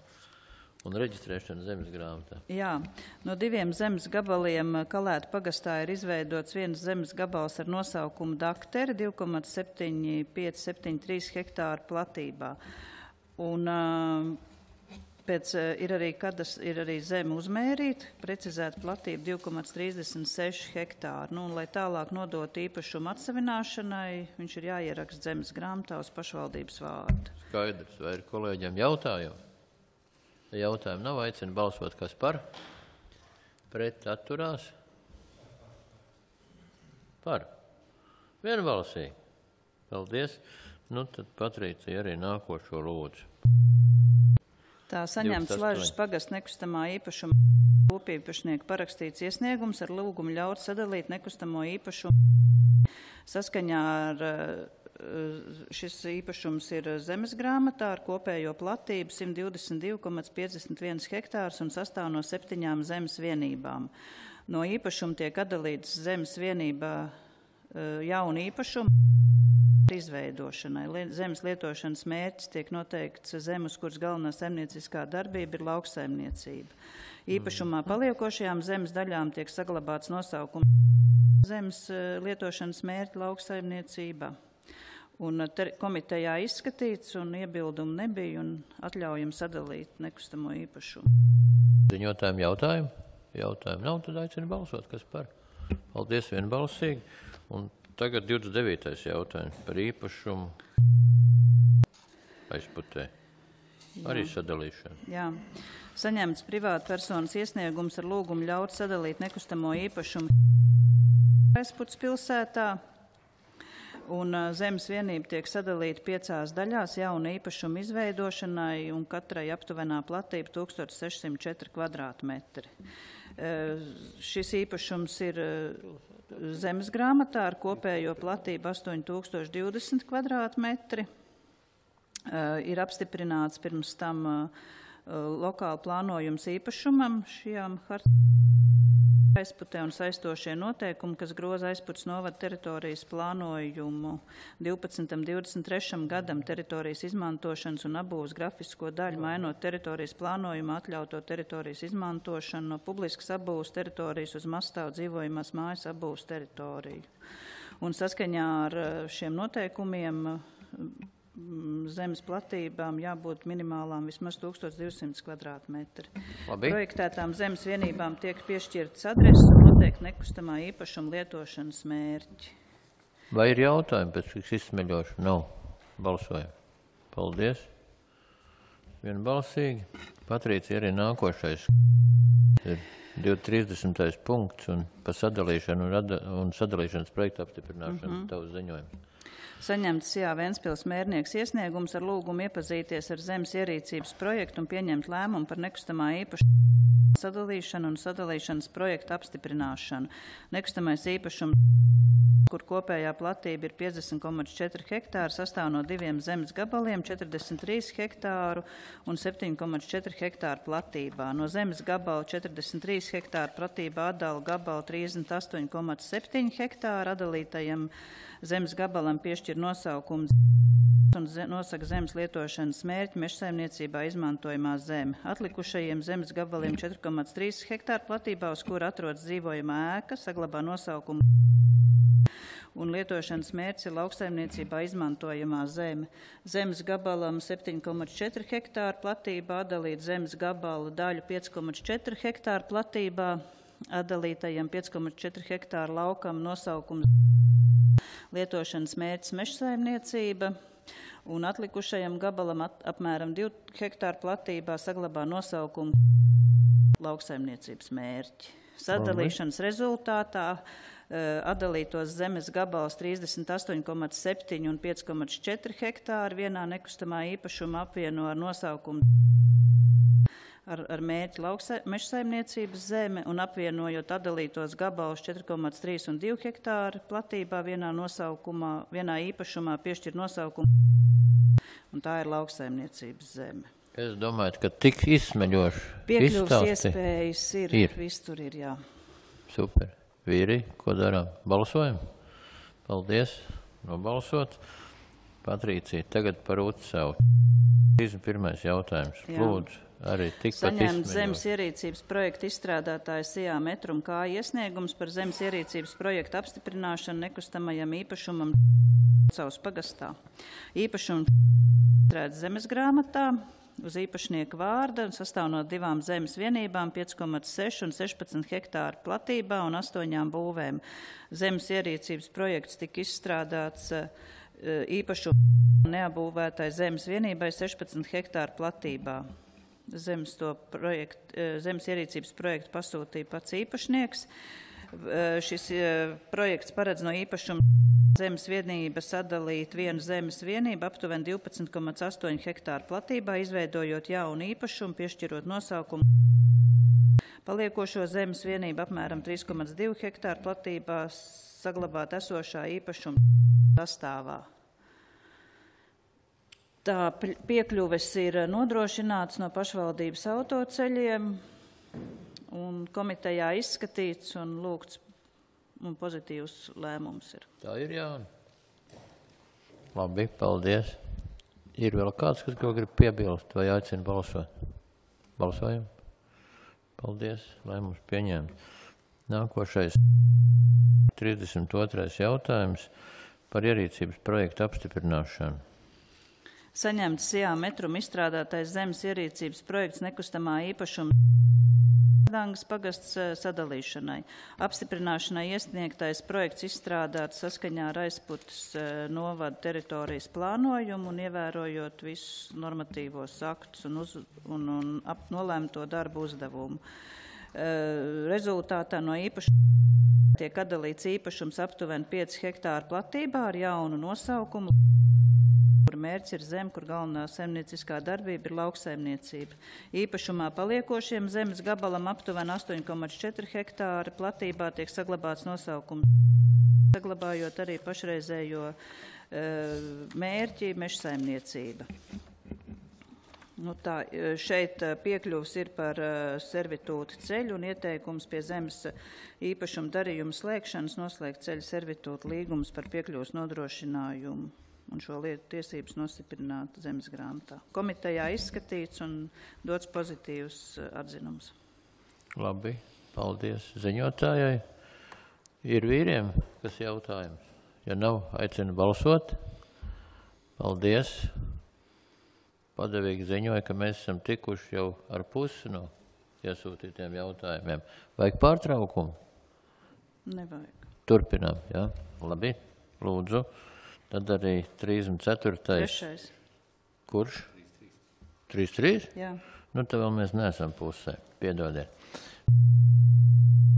un reģistrēšana zemes grāmatā. Jā, no diviem zemes gabaliem Kalēta pagastā ir izveidots viens zemes gabals ar nosaukumu Dakteri, divi komats septiņi pieci septiņi trīs hektāru platībā. Un uh, pēc uh, ir arī, kadas, ir arī zeme uzmērīta, precizēta platība divi komats trīsdesmit seši hektāri. Nu, un, lai tālāk nodot īpašumu atsavināšanai, viņš ir jāieraksta zemes grāmatā uz pašvaldības vārdu. Skaidrs, vai ir kolēģiem jautājumi? Jautājumu nav, aicinu balsot, kas par? Pret atturās? Par. Vienbalsīgi. Paldies. Nu, tad Patrīcija arī nākošo lūdzu. Tā saņemts Lažas pagasts nekustamā īpašuma grupīpašnieku parakstīts iesniegums ar lūgumu ļaut sadalīt nekustamo īpašumu. Saskaņā ar šis īpašums ir zemes grāmatā ar kopējo platību simt divdesmit divi komats piecdesmit viens hektārs un sastāv no septiņām zemes vienībām. No īpašuma tiek atdalīts zemes vienībā jauna īpašuma izveidošanai. Zemes lietošanas mērķis tiek noteikts zemes, kuras galvenā saimnieciskā darbība ir lauksaimniecība. Īpašumā paliekošajām zemes daļām tiek saglabāts nosaukums zemes lietošanas mērķi lauksaimniecībā. Un komitejā izskatīts un iebildumu nebija un atļaujam sadalīt nekustamo īpašumu. Ziņotājiem jautājumu? Jautājumu nav, tad aicinu balsot, kas par. Paldies vienbalsīgi. Un tagad divdesmit devītais jautājums par īpašumu aizputē. Arī sadalīšanu. Jā. Saņemts privāta personas iesniegums ar lūgumu ļaut sadalīt nekustamo īpašumu aizputs pilsētā. Un zemes vienība tiek sadalīta piecās daļās jauna īpašuma izveidošanai un katrai aptuvenā platība tūkstoš sešsimt četri kvadrātmetri. Šis īpašums ir zemes grāmatā ar kopējo platību astoņi tūkstoši divdesmit kvadrātmetri. Ir apstiprināts pirms tam lokāli plānojums īpašumam šajām hartām. Aizputē un saistošie noteikumi, kas groza Aizputes novada teritorijas plānojumu divpadsmitam divdesmit trešajam gadam teritorijas izmantošanas un abūvas grafisko daļu, mainot teritorijas plānojumu, atļauto teritorijas izmantošanu no publiskas abūvas teritorijas uz mastāvu dzīvojamās mājas abūvas teritoriju. Un saskaņā ar šiem noteikumiem zemes platībām jābūt minimālām vismaz tūkstoš divsimt kvadrātmetri. Labi. Projektētām zemes vienībām tiek piešķirts adreses un noteikti nekustamā īpašuma lietošanas mērķi. Vai ir jautājumi pēc šīs izsmeļošu? Nav. Balsojam. Paldies. Vienbalsīgi. Patrīcija arī nākošais. Ir divstridesmitais punkts un par sadalīšanu un, rada, un sadalīšanas projektu apstiprināšanu mm-hmm. tavs ziņojums. Saņemts Sijā Ventspils mērnieks iesniegums ar lūgumu iepazīties ar zemes ierīcības projektu un pieņemt lēmumu par nekustamā īpašuma sadalīšanu un sadalīšanas projektu apstiprināšanu. Nekustamais īpašums, kur kopējā platība ir piecdesmit komats četri hektāri, sastāv no diviem zemes gabaliem, četrdesmit trīs hektāru un septiņi komats četri hektāru platībā. No zemes gabala četrdesmit trīs hektāru platībā atdala gabalu trīsdesmit astoņi komats septiņi hektāru, atdalītajam zemes gabalam piešķir nosaukumu un nosaka zemes lietošanas mērķi mežsaimniecībā izmantojamā zeme. Atlikušajiem zemes gabaliem četri komats trīs hektāru platībā, uz kura atrodas dzīvojamā ēka, saglabā nosaukumu un lietošanas mērķis ir lauksaimniecībā izmantojamā zeme. Zemes gabalam septiņi komats četri hektāru platībā, atdalīt zemes gabalu daļu pieci komats četri hektāru platībā, atdalītajam pieci komats četri hektāru laukam nosaukums lietošanas mērķis mežsaimniecība un atlikušajam gabalam at, apmēram divu hektāru platībā saglabā nosaukumu lauksaimniecības mērķi. Sadalīšanas rezultātā atdalītos zemes gabals trīsdesmit astoņi komats septiņi un pieci komats četri hektāri vienā nekustamā īpašuma apvieno ar nosaukumu ar, ar mērķi mežsaimniecības zeme un apvienojot atdalītos gabalus četri komats trīs un divi hektāri platībā vienā nosaukumā, vienā īpašumā piešķir nosaukumu un tā ir lauksaimniecības zeme. Es domāju, ka tik izsmeļoši piekļuvas iespējas ir, ir. Viss tur ir, jā. Super. Vīri, ko darām? Balsojam? Paldies. Nobalsot. Patrīcija, tagad par Utsavu. trīsdesmit pirmais jautājums. Jā. Lūdzu, arī tikpat saņemt zemes ierīcības projektu izstrādātāja Sijā Metrum kā iesniegums par zemes ierīcības projektu apstiprināšanu nekustamajam īpašumam Utsavas pagastā. Īpašums izstrādāts zemes grāmatā uz īpašnieka vārda un sastāv no divām zemes vienībām, pieci komats seši un sešpadsmit hektāru platībā un astoņām būvēm. Zemes ierīcības projekts tika izstrādāts īpašumu neapbūvētai zemes vienībai sešpadsmit hektāru platībā. Zemes, to projekt, zemes ierīcības projektu pasūtīja pats īpašnieks. Šis projekts paredz no īpašuma zemes vienība sadalīt vienu zemes vienību aptuveni divpadsmit komats astoņi hektāru platībā, izveidojot jaunu īpašumu, piešķirot nosaukumu Paliekošo zemes vienību apmēram trīs komats divi hektāru platībā saglabāt esošā īpašuma sastāvā. Tā piekļuves ir nodrošināts no pašvaldības autoceļiem un komitejā izskatīts un lūgts un pozitīvs lēmums ir. Tā ir, Jāni. Labi, paldies. Ir vēl kāds, kas ko grib piebilst vai aicina balsot? Balsojam. Paldies, lēmums pieņēma. Nākošais trīsdesmit otrais jautājums par ierīcības projektu apstiprināšanu. Saņemts Sijā metrum izstrādātais zemes ierīcības projekts nekustamā īpašuma Dangas pagasts sadalīšanai. Apstiprināšanai iesniegtais projekts izstrādāts saskaņā ar Aizputas novada teritorijas plānojumu un ievērojot visus normatīvos aktus un, uz, un, un ap, nolēmto darbu uzdevumu. Rezultātā no īpašuma tiek atdalīts īpašums aptuveni pieci hektāru platībā ar jaunu nosaukumu, kur mērķis ir zem, kur galvenā saimnieciskā darbība ir lauksaimniecība. Īpašumā paliekošiem zemes gabalam aptuveni astoņi komats četri hektāri platībā tiek saglabāts nosaukums, saglabājot arī pašreizējo e, mērķi mežsaimniecība. Nu tā, šeit piekļuvs ir par servitūtu ceļu un ieteikums pie zemes īpašuma darījuma slēgšanas noslēgt ceļu servitūtu līgumus par piekļuvs nodrošinājumu un šo lietu tiesības nostiprināt zemes grāmatā. Komitejā izskatīts un dots pozitīvs atzinums. Labi, paldies ziņotājai. Ir vīriem, kas jautājums? Ja nav, aicina balsot. Paldies. Padevīgi ziņoja, ka mēs esam tikuši jau ar pusi no iesūtītiem jautājumiem. Vajag pārtraukumu? Nevajag. Turpinām, jā? Labi, lūdzu. Tad arī trīsdesmit ceturtais. Trešais. Kurš? trīs trīs? Jā. Nu, tad vēl mēs neesam pusē. Piedodiet.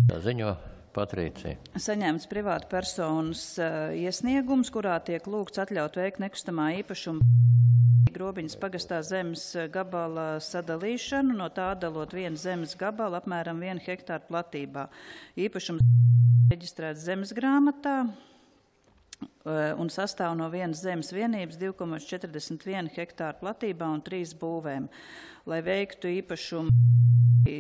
Tā ziņo Patricija. Saņemts privāta personas uh, iesniegums, kurā tiek lūgts atļaut veikt nekustamā īpašuma Grobiņas pagastā zemes gabala sadalīšanu, no tā atdalot vienu zemes gabalu apmēram vienu hektāru platībā. Īpašums reģistrēts zemes grāmatā un sastāv no vienas zemes vienības divi komats četrdesmit viena hektāru platībā un trīs būvēm. Lai veiktu īpašumu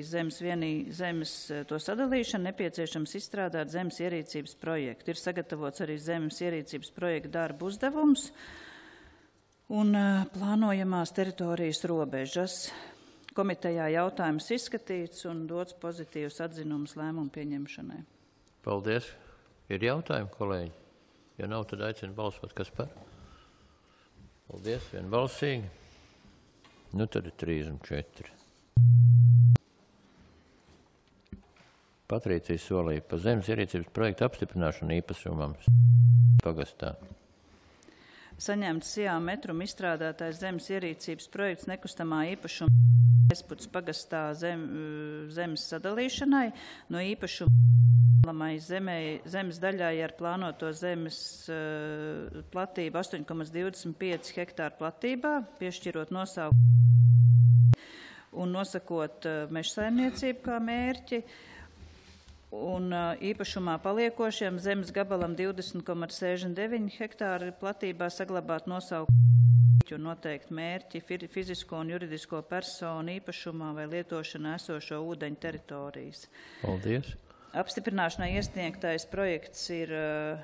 zemes, vienī, zemes to sadalīšanu, nepieciešams izstrādāt zemes ierīcības projektu. Ir sagatavots arī zemes ierīcības projekta darba uzdevums un plānojamās teritorijas robežas. Komitejā jautājums izskatīts un dots pozitīvs atzinums lēmumu pieņemšanai. Paldies. Ir jautājumi, kolēģi? Ja nav, tad aicinu balsot, kas par. Paldies, vienbalsīgi. Nu, tad ir trīsdesmit četri. Patricija solīja par zemes ierīcības projektu apstiprināšanu īpašumam pagastā. Saņemts Sijā metrum izstrādātais zemes ierīcības projekts nekustamā īpašuma Aizputas pagastā zem, zemes sadalīšanai no īpašuma Zemē, zemes daļai ar plānoto zemes uh, platību astoņi komats divdesmit pieci hektāru platībā, piešķirot nosaukumu un nosakot uh, mežsaimniecību kā mērķi, un uh, īpašumā paliekošiem zemes gabalam divdesmit komats sešdesmit deviņi hektāru platībā saglabāt nosaukumu un noteikt mērķi fizisko un juridisko personu īpašumā vai lietošanā esošo ūdeņu teritorijas. Paldies. Apstiprināšanai iesniegtais projekts ir uh,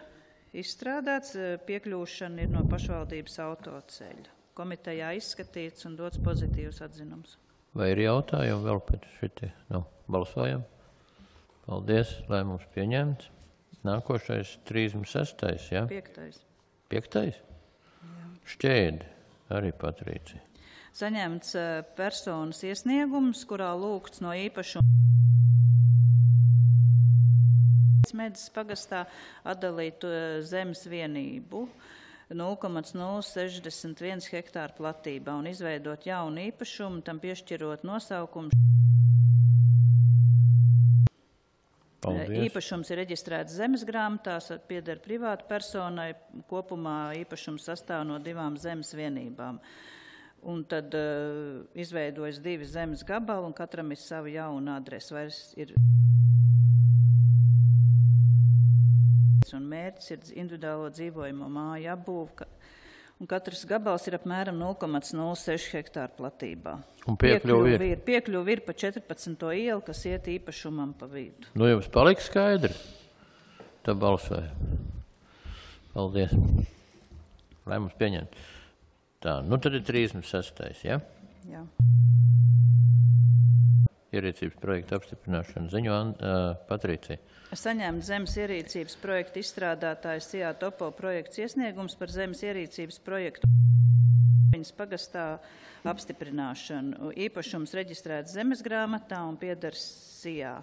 izstrādāts, piekļūšana ir no pašvaldības autoceļa. Komitejā izskatīts un dots pozitīvs atzinums. Vai ir jautājumi vēl pēc šitie? Nu, balsojam. Paldies, lēmums pieņemts. Nākošais trīsdesmit sestais, jā? Piektais. Piektais? Jā. Šķēdi, arī Patricija. Saņemts uh, personas iesniegums, kurā lūgts no īpašuma Medis pagastā atdalīt zemes vienību nulle komats nulle sešdesmit viens hektāru platībā un izveidot jaunu īpašumu, tam piešķirot nosaukumu. Paldies. Īpašums ir reģistrēts zemes grāmatās, pieder privāta personai, kopumā īpašums sastāv no divām zemes vienībām. Un tad uh, izveidojas divi zemes gabali, un katram ir sava jauna adrese. Vairs ir un mērķis ir individuālo dzīvojamo māju apbūve, un katrs gabals ir apmēram nulle komats nulle seši hektāru platībā. Un piekļuvi ir? ir? Piekļuvi ir pa četrpadsmito ielu, kas iet īpašumam pa vidu. Nu, jums paliks skaidri? Tā balsoja. Paldies. Lai mums pieņemt. Tā, nu tad ir trīsdesmit sestais, ja? Jā. Ierīcības projekta apstiprināšana. Ziņo uh, Patricija. Saņēma zemes ierīcības projekta izstrādātājs C A Topo projekts iesniegums par zemes ierīcības projektu viņas pagastā apstiprināšanu. Īpašums reģistrēts zemes grāmatā un pieder C A.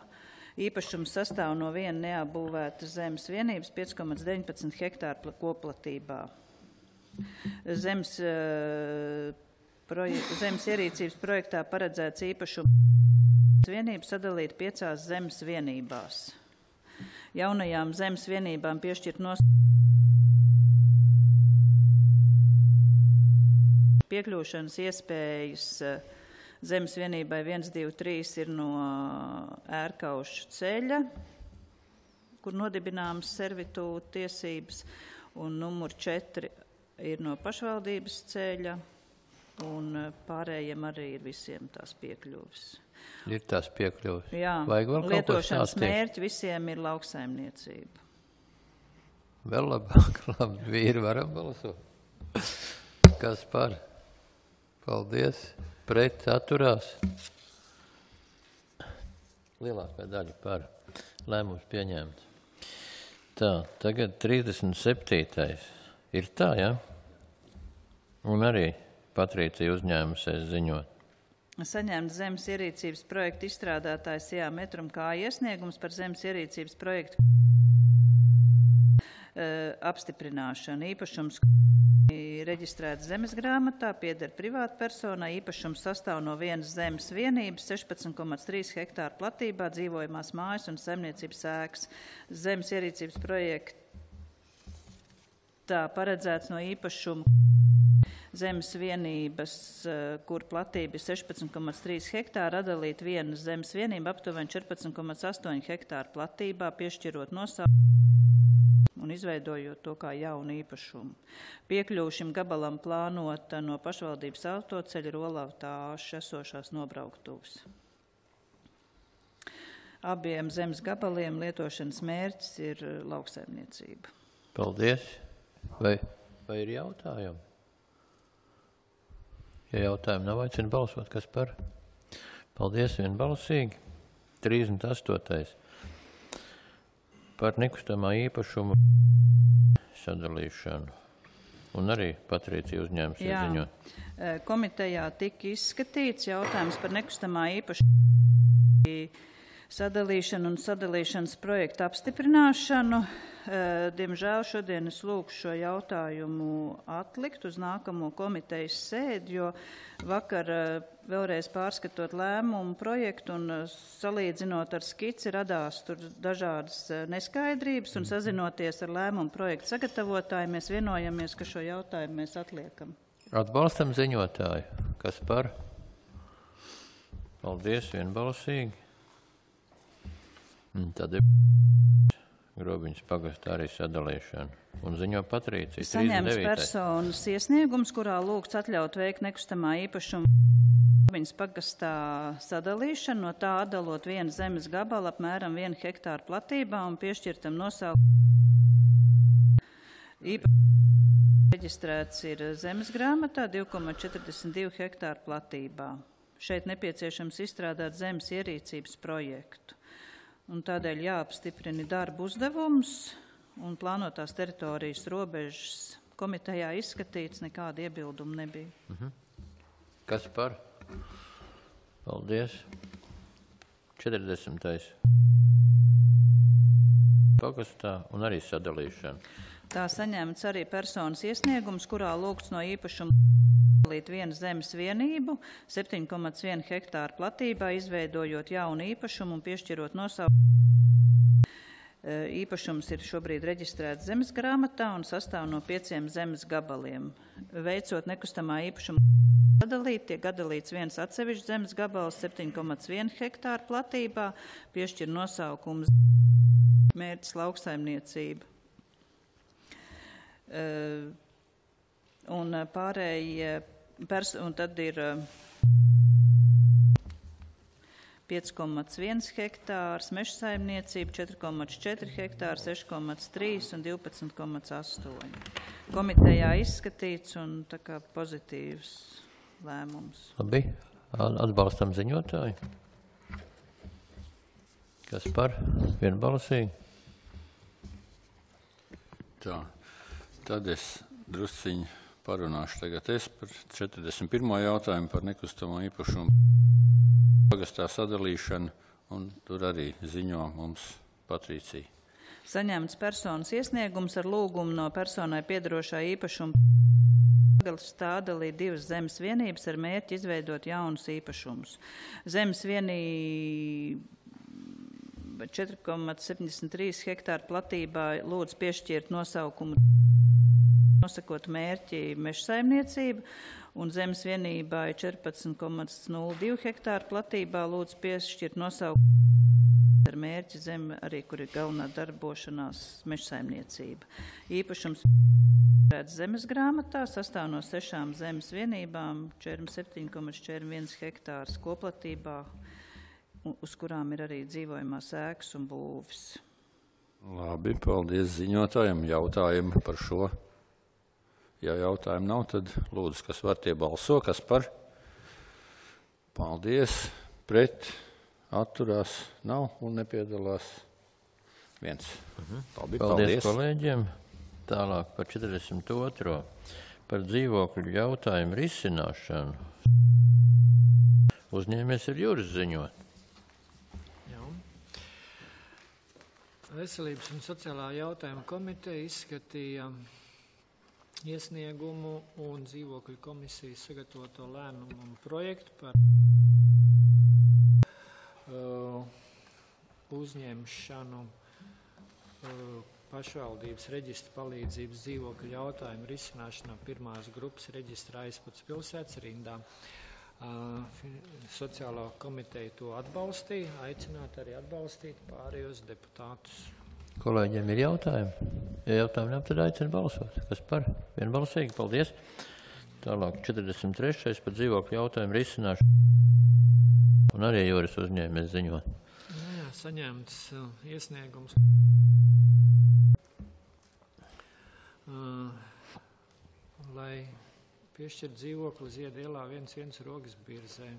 Īpašums sastāv no viena neapbūvētas zemes vienības pieci komats deviņpadsmit hektāru koplatībā. Zemes, proje, zemes ierīcības projektā paredzēts īpašumu vienību sadalīt piecās zemes vienībās. Jaunajām zemes vienībām piešķirt nos piekļūšanas iespējas zemes vienībai viens, divi, trīs ir no Ērkaušu ceļa, kur nodibināmas servitūta tiesības, un numur četri ir no pašvaldības ceļa, un pārējiem arī ir visiem tās piekļuvis. Ir tās piekļuvis. Jā, Vajag vēl lietošanas mērķi visiem ir lauksaimniecība. Vēl labāk, labi, vīri varam balsot. Kas par? Paldies. Pret atturās. Lielākā daļa par. Lēmums pieņemts. Tā, tagad trīsdesmit septītais. Ir tā, ja? Un arī Patricija uzņēmusies ziņot. Saņēma zemes ierīcības projekta izstrādātājs C A Metrum kā iesniegums par zemes ierīcības projektu e, apstiprināšanu. Īpašums reģistrēts zemes grāmatā, pieder privātpersonai, īpašums sastāv no vienas zemes vienības, sešpadsmit komats trīs hektāru platībā, dzīvojamās mājas un saimniecības ēkas. Zemes ierīcības projektā paredzēts no īpašuma zemes vienības, kur platība ir sešpadsmit komats trīs hektāri, atdalīt vienu zemes vienību aptuveni četrpadsmit komats astoņi hektāru platībā, piešķirot nosaukumu un izveidojot to kā jaunu īpašumu. Piekļuvu šim gabalam plānota no pašvaldības autoceļa Rolavtāša esošās nobrauktuvas. Abiem zemes gabaliem lietošanas mērķis ir lauksaimniecība. Paldies. Vai, vai ir jautājumi? Ja jautājumi nav, aicinu balsot, kas par? Paldies, vienbalsīgi. trīsdesmit astotais. Par nekustamā īpašumu sadalīšanu. Un arī Patricija uzņēmusies ziņot. Komitejā tika izskatīts jautājums par nekustamā īpašumu sadalīšanu un sadalīšanas projektu apstiprināšanu. Diemžēl šodien es lūkšu šo jautājumu atlikt uz nākamo komitejas sēdi, jo vakar vēlreiz pārskatot lēmumu projektu un salīdzinot ar skici radās tur dažādas neskaidrības un sazinoties ar lēmumu projektu sagatavotāju, mēs vienojamies, ka šo jautājumu mēs atliekam. Atbalstam ziņotāju. Kas par? Paldies, vienbalsīgi. Tad ir Grobiņas pagastā arī sadalīšana. Un ziņo Patricija. Saņēmis personas iesniegums, kurā lūgts atļaut veikt nekustamā īpašuma Grobiņas pagastā sadalīšanu, no tā atdalot vienu zemes gabalu apmēram vienu hektāru platībā un piešķirtam nosaukumu. Īpašums reģistrēts ir zemes grāmatā divi komats četrdesmit divi hektāru platībā. Šeit nepieciešams izstrādāt zemes ierīcības projektu. Un tādēļ jāapstiprina darba uzdevums un plānotās teritorijas robežas komitejā izskatīts, nekāda iebilduma nebija. Mhm. Kas par? Paldies. četrdesmitais. Pagastā un arī sadalīšana. Tā saņemts arī personas iesniegums, kurā lūgts no īpašuma sadalīt vienu zemes vienību, septiņi komats viens hektāru platībā, izveidojot jaunu īpašumu un piešķirot nosaukumu. Īpašums ir šobrīd reģistrēts zemes grāmatā un sastāv no pieciem zemes gabaliem. Veicot nekustamā īpašuma sadalīt, tiek atdalīts viens atsevišķs zemes gabals septiņi komats viens hektāru platībā, piešķir nosaukums mērķis lauksaimniecība. Uh, un pārējie, pers un tad ir uh, pieci komats viens hektārs, meža saimniecība četri komats četri hektāri, seši komats trīs un divpadsmit komats astoņi. Komitejā izskatīts un tā kā pozitīvs lēmums. Labi, atbalstam ziņotāju. Kas par? Vienbalsīgi. Tā, tad es drusciņi parunāšu tagad es par četrdesmit pirmo jautājumu par nekustamo īpašumu pagastā sadalīšanu, un tur arī ziņo mums Patricija. Saņemts personas iesniegums ar lūgumu no personai piederošā īpašuma stādalīt divas zemes vienības ar mērķi izveidot jaunus īpašumus. Zemes vienība četri komats septiņdesmit trīs hektāru platībā lūdz piešķirt nosaukumu nosakot mērķi meža saimniecība, un zemes vienībai četrpadsmit komats nulle divi hektāru platībā lūdz piešķirt nosaukumu ar mērķi zeme, arī kur ir galvenā darbošanās meža saimniecība. Īpašums zemes grāmatā sastāv no sešām zemes vienībām, četrdesmit septiņi komats četrdesmit viens hektārs koplatībā, uz kurām ir arī dzīvojamās ēkas un būvis. Labi, paldies ziņotājiem. Jautājumi par šo? Ja jautājumu nav, tad lūdzu, kas var tie balso, kas par? Paldies, pret, atturās, nav un nepiedalās viens. Mhm. Labi, paldies, paldies kolēģiem. Tālāk par četrdesmit otro par dzīvokļu jautājumu risināšanu. Uzņēmies ir Juris ziņot. Jā. Veselības un sociālā jautājuma komiteja izskatīja iesniegumu un dzīvokļu komisijas sagatavoto lēmumu projektu par uh, uzņemšanu uh, pašvaldības reģistra palīdzības dzīvokļu jautājumu risināšanā pirmās grupas reģistra Aizpats pilsētas rindā. Uh, sociālā komiteja to atbalstīja, aicināt arī atbalstīt pārējos deputātus. Kolēģiem ir jautājumi? Ja jautājumi nav, tad aicina balsot. Kas par? Vienbalsīgi, paldies. Tālāk četrdesmit trešais par dzīvokļu jautājumu risināšanu. Un arī Juris uzņēmies ziņot. Jā, jā, saņemts uh, iesniegums. Uh, lai piešķirt dzīvokli Ziedu ielā viens viens Rogas birzē.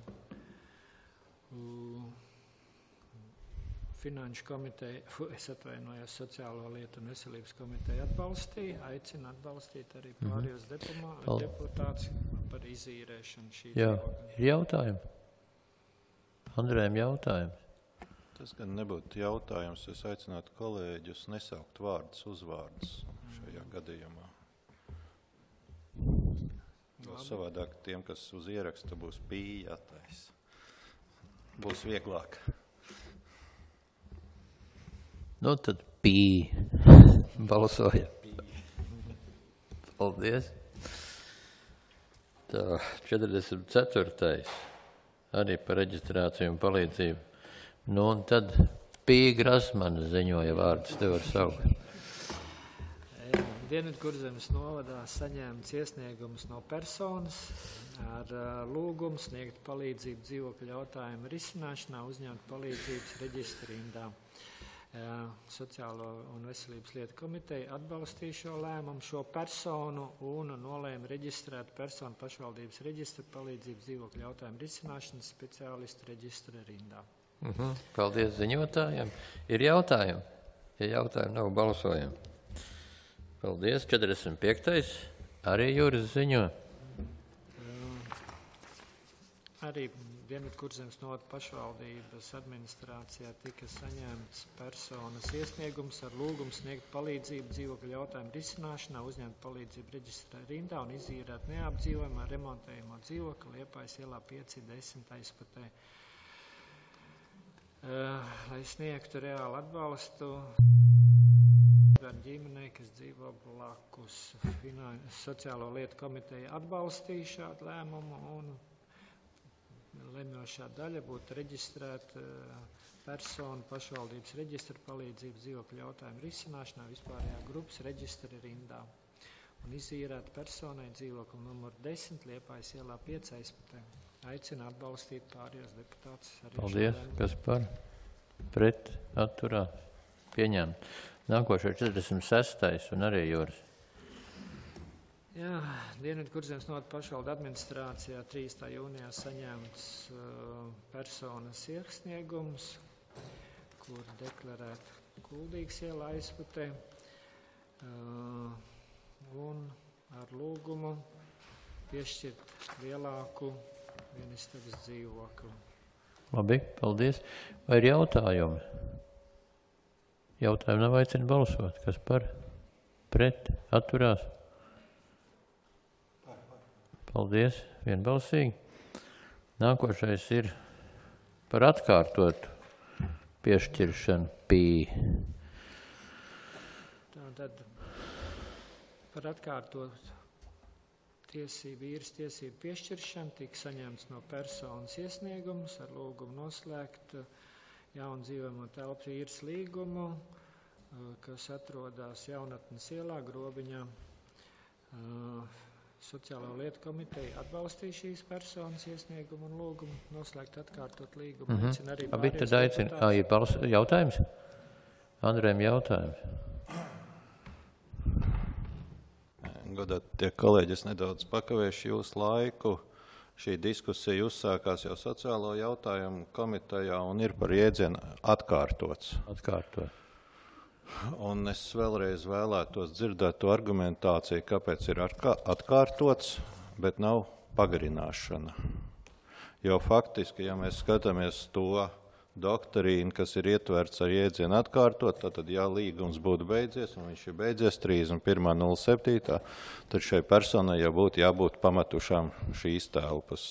Uh, Finanšu komiteja, es atvainojos, sociālo lietu un veselības komiteja atbalstīja, aicina atbalstīt arī pārējos mm-hmm. deputātus par izīrēšanu šī Jā, dzīvokļa. Ir jautājumi? Andrējam jautājums? Tas gan nebūtu jautājums, es aicinātu kolēģus nesaukt vārdus, uzvārdus šajā gadījumā. Vēl savādāk tiem, kas uz ieraksta būs pīja jātais. Būs vieglāk. Nu, tad pī. Balsoja. Paldies. Tā, četrdesmit ceturtais arī par reģistrāciju un palīdzību. Nu, un tad pī Grasmana ziņoja vārdus, te var saukt. Dienvidkurzemes novadā saņēmts iesniegums no personas ar uh, lūgumu sniegt palīdzību dzīvokļu jautājumu risināšanā, uzņemt palīdzības reģistra rindā. Uh, Sociālo un veselības lietu komiteja atbalstīja šo lēmumu, šo personu un nolēma reģistrēt personu pašvaldības reģistra palīdzības dzīvokļu jautājumu risināšanas speciālistu reģistra rindā. Mhm. Paldies ziņotājiem. Ir jautājumi? Ja jautājumi nav, balsojam. Paldies. četrdesmit piektais arī Juris ziņo. Uh, arī Dienvidkurzemes novada pašvaldības administrācijā tika saņemts personas iesniegums ar lūgumu sniegt palīdzību dzīvokļu jautājumu risināšanā, uzņemt palīdzību reģistrā rindā un izīrēt neapdzīvojumā remontējamo dzīvokli Liepājas ielā pieci desmit Aizpatē. Uh, lai sniegtu reālu atbalstu ar ģimenei, kas dzīvo blakus. Finan... Sociālo lietu komiteja atbalstīja šādu lēmumu un lemjošā daļa būtu reģistrēt personu pašvaldības reģistra palīdzību dzīvokļu jautājumu risināšanā vispārējā grupas reģistra rindā un izīrēt personai dzīvokli numur desmit Liepājas ielā pieci aizpatē. Aicina atbalstīt pārējos deputātus. Paldies. Kas par? Pret? Atturā? Pieņem. Nākošais četrdesmit sestais un arī Juris. Jā, Dienvidkurzemes novada pašvaldu administrācijā trīsdesmitā jūnijā saņemts uh, personas iesniegums, kur deklarēt Kuldīgas iela aizputē uh, un ar lūgumu piešķirt lielāku vienistabas dzīvokli. Labi, paldies. Vai ir jautājumi? Jautājumi nav, aicina balsot. Kas par? Pret? Atturās? Paldies, vienbalsīgi. Nākošais ir par atkārtotu piešķiršanu pī. Tātad par atkārtotu tiesību, īres tiesību piešķiršanu tika saņemts no personas iesniegums ar lūgumu noslēgt jaunu dzīvojamo telpu īres līgumu, kas atrodas Jaunatnes ielā, Grobiņā. Sociālo lietu komiteja atbalstīja šīs personas iesniegumu un lūgumu noslēgt atkārtot līgumu. Mm-hmm. Aicina arī Abi tad aicina. Ā, ir bals... jautājums? Andrēm jautājums. Godāt, tie kolēģi, es nedaudz pakavēšu jūsu laiku. Šī diskusija uzsākās jau sociālo jautājumu komitejā un ir par jēdzienu atkārtots. Atkārtot. Un es vēlreiz vēlētos dzirdēt to argumentāciju, kāpēc ir atkārtots, bet nav pagarināšana. Jo faktiski, ja mēs skatāmies to doktrīnu, kas ir ietverts ar jēdzienu atkārtot, tad, ja līgums būtu beidzies, un viņš ir beidzies trīsdesmit pirmā nulle septītā, tad šai personai jau būtu jābūt pametušām šīs telpas.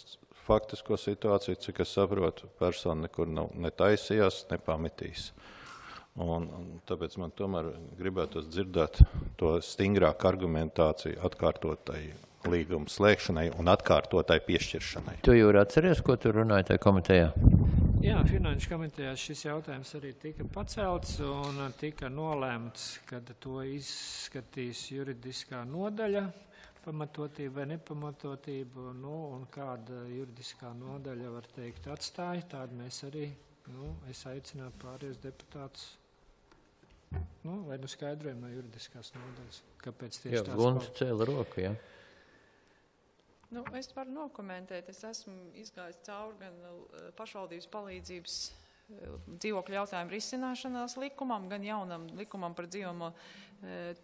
Faktisko situāciju, cik es saprotu, persona nekur nav netaisījās, nepametīs. Un, un tāpēc man tomēr gribētos dzirdēt to stingrāku argumentāciju atkārtotai līguma slēgšanai un atkārtotai piešķiršanai. Tu jau atceries, ko tu runāji tajā komitejā? Jā, Finanšu komitejā šis jautājums arī tika pacelts un tika nolēmts, kad to izskatīs juridiskā nodaļa, pamatotība vai nepamatotība, nu, un kāda juridiskā nodaļa, var teikt, atstāja, tādu mēs arī, nu, es aicinātu pārējos deputātus. Nu, vai nu skaidrojam no juridiskās nodaļas, kāpēc tieši jā, tās... Jā, Gunts cēla roku, jā. Nu, es varu nokomentēt, es esmu izgājis cauri gan pašvaldības palīdzības dzīvokļu jautājumu risināšanās likumam, gan jaunam likumam par dzīvojamo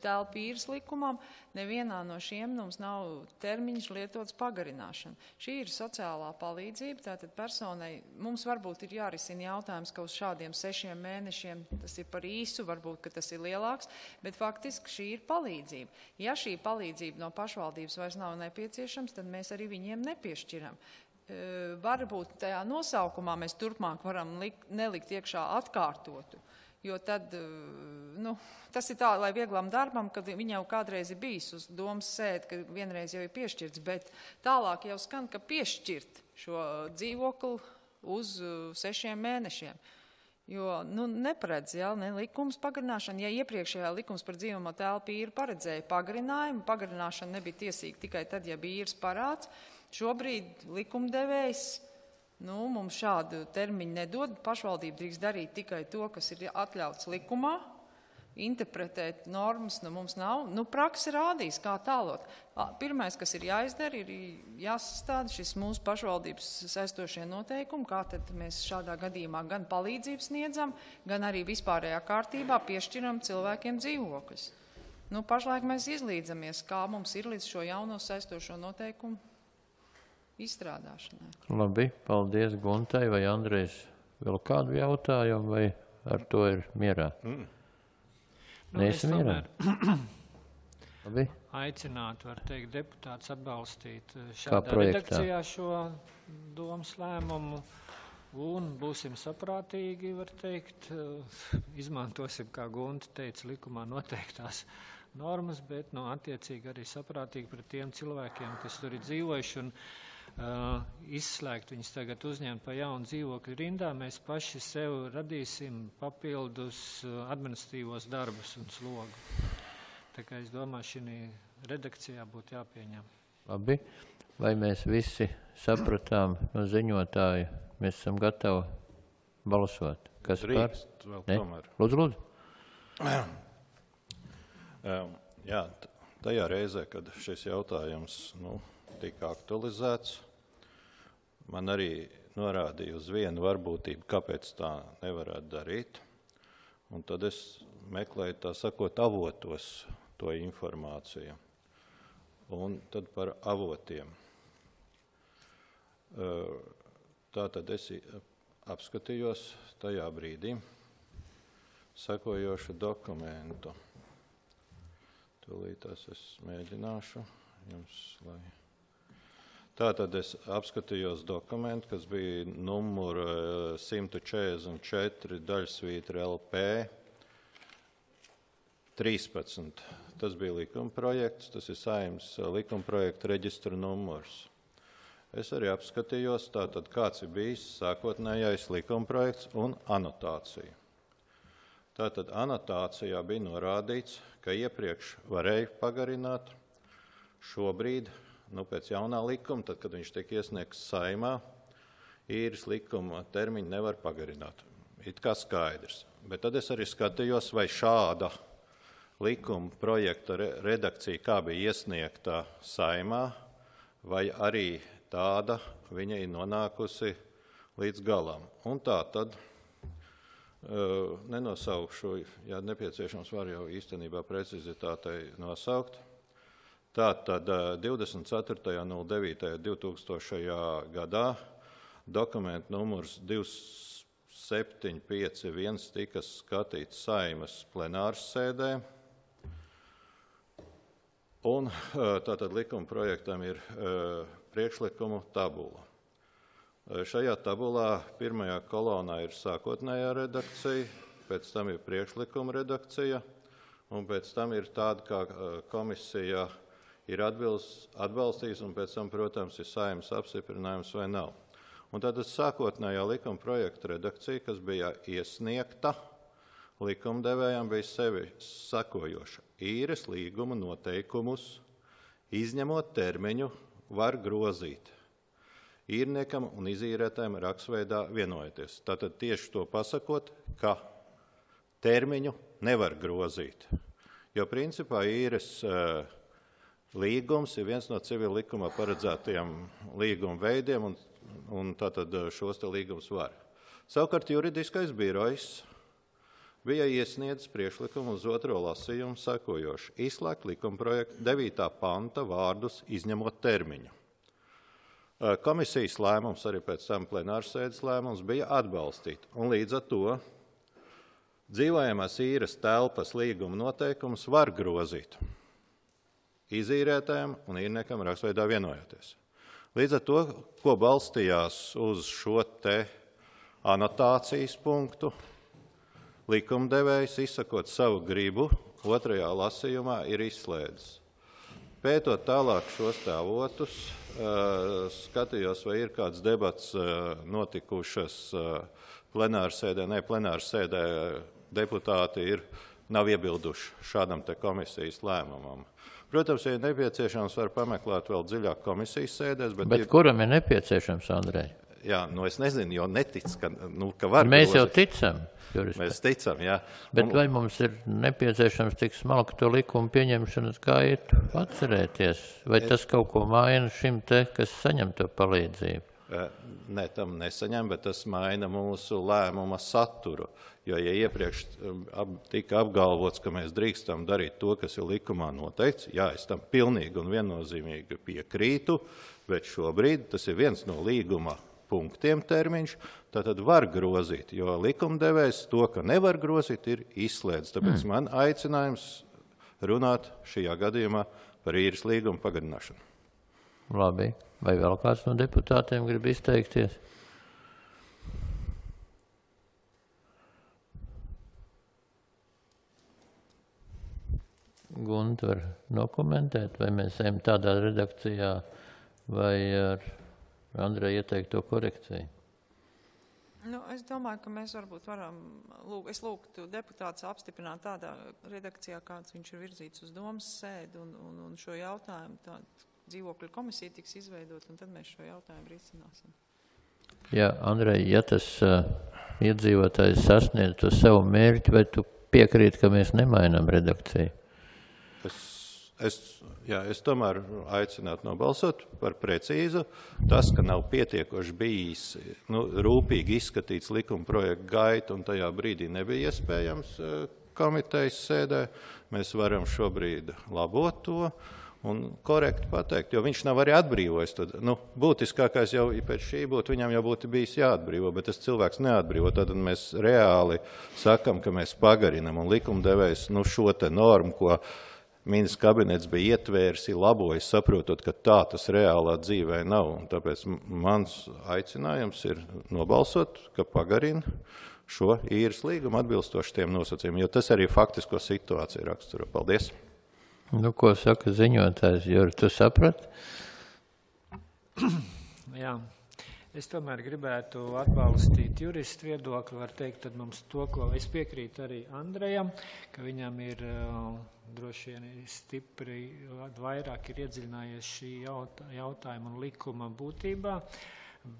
telpu īres likumam. Nevienā no šiem mums nav termiņš lietots pagarināšana. Šī ir sociālā palīdzība, tātad personai mums varbūt ir jārisina jautājums, ka uz šādiem sešiem mēnešiem tas ir par īsu, varbūt, ka tas ir lielāks, bet faktiski šī ir palīdzība. Ja šī palīdzība no pašvaldības vairs nav nepieciešams, tad mēs arī viņiem nepiešķiram. Varbūt tajā nosaukumā mēs turpmāk varam likt, nelikt iekšā atkārtotu, jo tad, nu, tas ir tā, lai vieglam darbam, kad viņa jau kādreiz ir bijis uz domas sēdi, ka vienreiz jau ir piešķirts, bet tālāk jau skan, ka piešķirt šo dzīvokli uz sešiem mēnešiem. Jo, nu, neparedz, jā, ne likums pagarināšana. Ja iepriekšējā likums par dzīvojamo telpu īri paredzēja pagarinājumu, pagarināšana nebija tiesīga tikai tad, ja bija īres parāds. Šobrīd likumdevējs, nu, mums šādu termiņu nedod. Pašvaldība drīkst darīt tikai to, kas ir atļauts likumā. Interpretēt normas, nu, mums nav. Nu, praksa rādīs, kā tālot. Pirmais, kas ir jāizdara, ir jāsastāda šis mūsu pašvaldības saistošie noteikumi, kā tad mēs šādā gadījumā gan palīdzību sniedzam, gan arī vispārējā kārtībā piešķiram cilvēkiem dzīvokļus. Nu, pašlaik mēs izlīdzamies, kā mums ir līdz šo jauno saistošo noteikumu izstrādāšanai. Labi, paldies Guntai. Vai Andrejs vēl kādu jautājumu, vai ar to ir mierā? Mm. Nu, Neesi mierā? Labi. Aicinātu, var teikt, deputāts atbalstīt šādā redakcijā šo domas lēmumu un būsim saprātīgi, var teikt, izmantosim, kā Gunta teica, likumā noteiktās normas, bet no attiecīgi arī saprātīgi pret tiem cilvēkiem, kas tur ir dzīvojuši un uh, izslēgt viņus tagad uzņemt pa jaunu dzīvokļu rindā, mēs paši sev radīsim papildus administratīvos darbus un slogu. Tā kā es domāju, šī redakcijā būtu jāpieņem. Labi. Vai mēs visi sapratām no ziņotāja, mēs esam gatavi balsot? Kas Drīkst, par? vēl Ne? tomēr. Lūdzu, lūdzu. Jā, tajā reizē, kad šis jautājums nu, tika aktualizēts, man arī norādīja uz vienu varbūtību, kāpēc tā nevarētu darīt. Un tad es meklēju, tā sakot, avotos to informāciju. Un tad par avotiem. Tātad es apskatījos tajā brīdī sekojošu dokumentu. Tūlītās es mēģināšu jums, lai... Tātad es apskatījos dokumentu, kas bija numur simt četrdesmit četri daļsvītra L P trīspadsmit. Tas bija likuma projekts, tas ir Saeimas likuma projekta reģistra numurs. Es arī apskatījos, tātad kāds ir bijis sākotnējais likuma projekts un anotācija. Tātad anotācijā bija norādīts, ka iepriekš varēja pagarināt, šobrīd, nu pēc jaunā likuma, tad, kad viņš tiek iesniegts Saeimā, īres likuma termiņu nevar pagarināt. It kā skaidrs. Bet tad es arī skatījos, vai šāda likuma projekta redakcija, kā bija iesniegta Saeimā, vai arī tāda viņa ir nonākusi līdz galam. Un tā tad uh, nenosaukšu, ja nepieciešams var jau īstenībā precizitātei nosaukt. Tā tad uh, divdesmit ceturtajā nulles devītajā divtūkstošajā gadā dokumentu numurs divi septiņi pieci viens tika skatīts Saeimas plenāras sēdē. Un tātad likuma projektam ir uh, priekšlikumu tabula. Uh, šajā tabulā pirmajā kolonā ir sākotnējā redakcija, pēc tam ir priekšlikuma redakcija, un pēc tam ir tāda, kā uh, komisija ir atbilst, atbalstījis, un pēc tam, protams, ir Saeimas apstiprinājums vai nav. Un tātad sākotnējā likuma projekta redakcija, kas bija iesniegta, likumdevējām bija sevi sakojoša. Īres līguma noteikumus, izņemot termiņu, var grozīt. Īrniekam un izīrētājiem rakstveidā vienojoties. Tātad tieši to pasakot, ka termiņu nevar grozīt. Jo principā īres uh, līgums ir viens no civila likumā paredzētajiem līguma veidiem, un, un tātad šos te līgums var. Savukārt juridiskais birojs bija iesniedzis priekšlikumu uz otro lasījumu sekojoši. Izslēgt likuma projekta devītā panta vārdus izņemot termiņu. Komisijas lēmums, arī pēc tam plenārsēdes lēmums, bija atbalstīt. Un līdz ar to dzīvojamās īres telpas līguma noteikumus var grozīt izīrētājiem un īrniekam rakstveidā vienojoties. Līdz ar to, ko balstījās uz šo te anotācijas punktu, likumdevējs, izsakot savu gribu, otrajā lasījumā ir izslēdzis. Pētot tālāk šos tēvotus, skatījos, vai ir kāds debats notikušas plenārsēdē, ne plenārsēdē deputāti ir, nav iebilduši šādam te komisijas lēmumam. Protams, ja nepieciešams, var pameklēt vēl dziļāk komisijas sēdēs. Bet, bet ir... kuram ir nepieciešams, Andrej? Jā, nu es nezinu, jo netic, ka, nu, ka var. Mēs grozīt. jau ticam. Jurista. Mēs ticam, jā. Bet un... vai mums ir nepieciešams tik smalku to likumu pieņemšanas gaitu atcerēties? Vai tas kaut ko maina šim te, kas saņem to palīdzību? Ne, tam nesaņem, bet tas maina mūsu lēmuma saturu. Jo, ja iepriekš tika apgalvots, ka mēs drīkstam darīt to, kas ir likumā noteikts, jā, es tam pilnīgi un viennozīmīgi piekrītu, bet šobrīd tas ir viens no līguma punktiem termiņš, tātad var grozīt, jo likumdevējs to, ka nevar grozīt, ir izslēdz. Tāpēc mm. man aicinājums runāt šajā gadījumā par īres līgumu pagarināšanu. Labi. Vai vēl kāds no deputātiem grib izteikties? Gunta var nokomentēt, vai mēs ejam tādā redakcijā, vai ar Andreja ieteikto korekciju? Nu, es domāju, ka mēs varbūt varam, lūk, es lūgtu deputāts apstiprināt tādā redakcijā, kāds viņš ir virzīts uz domas sēdi, un, un, un šo jautājumu tādu dzīvokļu komisija tiks izveidot, un tad mēs šo jautājumu risināsim. Jā, Andrej, ja tas uh, iedzīvotājs sasniedz to savu mērķi, vai tu piekrīt, ka mēs nemainām redakciju? Es, es, jā, es tomēr aicinātu nobalsot par precīzu. Tas, ka nav pietiekoši bijis nu, rūpīgi izskatīts likuma projekta gaita, un tajā brīdī nebija iespējams komitejas sēdē, mēs varam šobrīd labot to un korekti pateikt, jo viņš nav arī atbrīvojis. Tad, nu, būtiskākais jau pēc šī būtu, viņam jau būtu bijis jāatbrīvo, bet tas cilvēks neatbrīvo. Tad mēs reāli sakam, ka mēs pagarinam, un likumdevējs nu, šo te normu, ko ministrs kabinets bija ietvērs, ir labojis, saprotot, ka tā tas reālā dzīvē nav. Un tāpēc mans aicinājums ir nobalsot, ka pagarina šo īres līgumu atbilstoši tiem nosacījumiem, jo tas arī faktisko situāciju raksturo. Paldies! Nu, ko saka ziņotājs, Juri, tu saprat? Jā, es tomēr gribētu atbalstīt juristu viedokli, var teikt, tad mums to, ko es piekrītu arī Andrejam, ka viņam ir uh, droši vien stipri, vairāk ir iedziļinājies šī jautā, jautājuma un likuma būtībā,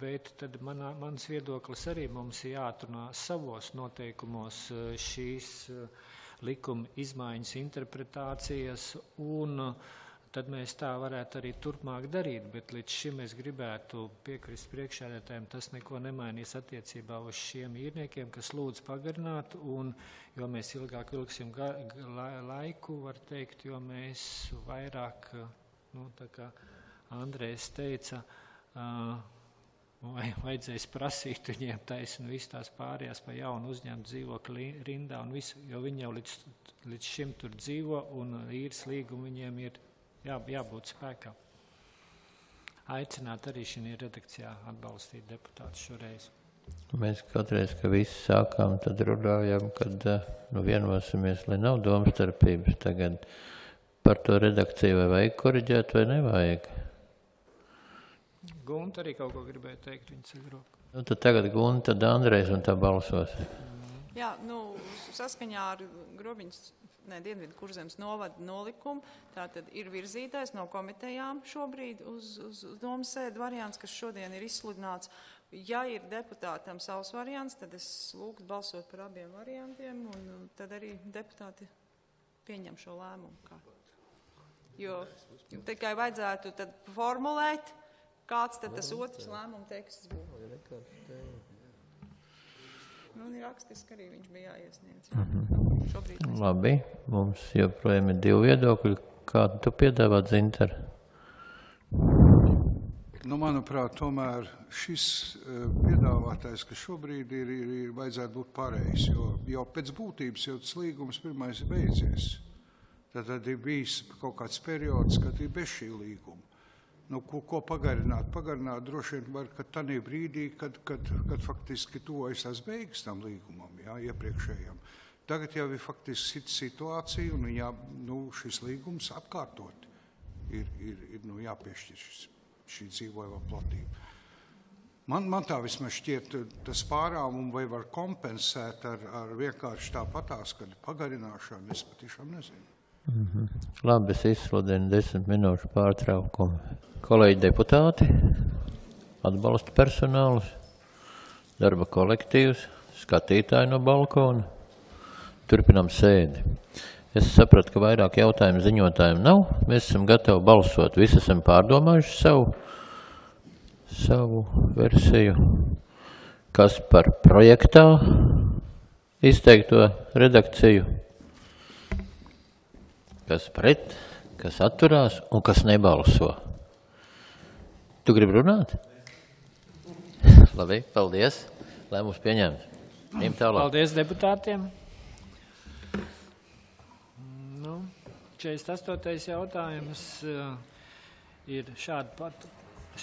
bet tad manā, mans viedoklis arī mums ir jāatrunā savos noteikumos šīs uh, likuma izmaiņas interpretācijas, un tad mēs tā varētu arī turpmāk darīt, bet līdz šim es gribētu piekrist priekšsēdētājiem, tas neko nemainīs attiecībā uz šiem īrniekiem, kas lūdz pagarināt, un jo mēs ilgāk vilksim ga, ga, laiku, var teikt, jo mēs vairāk, nu, tā kā Andrejs teica, uh, vai vajadzēs prasīt viņiem taisnu visu tās pārējās pa jaunu uzņemt dzīvokli rindā un visu, jo viņi jau līdz, līdz šim tur dzīvo un īres līgumu viņiem ir jā, jābūt spēkā. Aicināt arī šī redakcijā atbalstīt deputātus šoreiz. Mēs katreiz, ka visi sākām, tad runājam, kad nu, vienosimies, lai nav domstarpības. Tagad par to redakciju vai vajag koriģēt vai nevajag? Gunta arī kaut ko gribēja teikt, viņa ceļ roku. Nu, tad tagad Gunta, tad Andrejs un tā balsos. Jā, nu, saskaņā ar Grobiņas, ne, Dienvidu Kurzemes novada nolikumu, tātad ir virzītais no komitejām šobrīd uz, uz, uz domas sēdu variants, kas šodien ir izsludināts. Ja ir deputātam savs variants, tad es lūgtu balsot par abiem variantiem, un tad arī deputāti pieņem šo lēmumu. Kā. Jo tikai vajadzētu tad formulēt, kāds tad tas otrs lēmuma teksts būtu? Nu, ir rakstiski arī viņš bija jāiesniedz. Mhm. Šobrīd mēs... Labi, mums joprojām ir divi viedokļi. Kādu tu piedāvāt, Zinter? Nu, manuprāt, tomēr šis piedāvātais, kas šobrīd ir, ir, ir vajadzētu būt pareizs, jo jau pēc būtības jau tas līgums pirmais ir beidzies. Tad, tad ir bijis kaut kāds periods, kad ir bez šī līguma. Nu, ko, ko pagarināt? Pagarināt droši vien var, ka tanī brīdī, kad, kad, kad faktiski tuvojas tās beigas tam līgumam, jā, iepriekšējam. Tagad jau ir faktiski situācija, un jā, nu, šis līgums atkārtot ir, ir, ir nu, jāpiešķir šis, šī dzīvojamā platība. Man, man tā vismaz šķiet, tas pārāvumu vai var kompensēt ar, ar vienkārši tāpatās, kad pagarināšanu, es patiešām nezinu. Mhm. Labi, es izsludinu desmit minūšu pārtraukumu. Kolēģi deputāti, atbalsta personālus, darba kolektīvs, skatītāji no balkona. Turpinām sēdi. Es sapratu, ka vairāk jautājumu ziņotājiem nav. Mēs esam gatavi balsot. Visi esam pārdomājuši savu, savu versiju. Kas par projektā izteikto redakciju? Kas pret, kas atturās un kas nebalso. Tu gribi runāt? Labi, paldies. Lēmums pieņemts. Ejam tālāk. Paldies deputātiem. Nu, četrdesmit astotais jautājums uh, ir šāda, pat,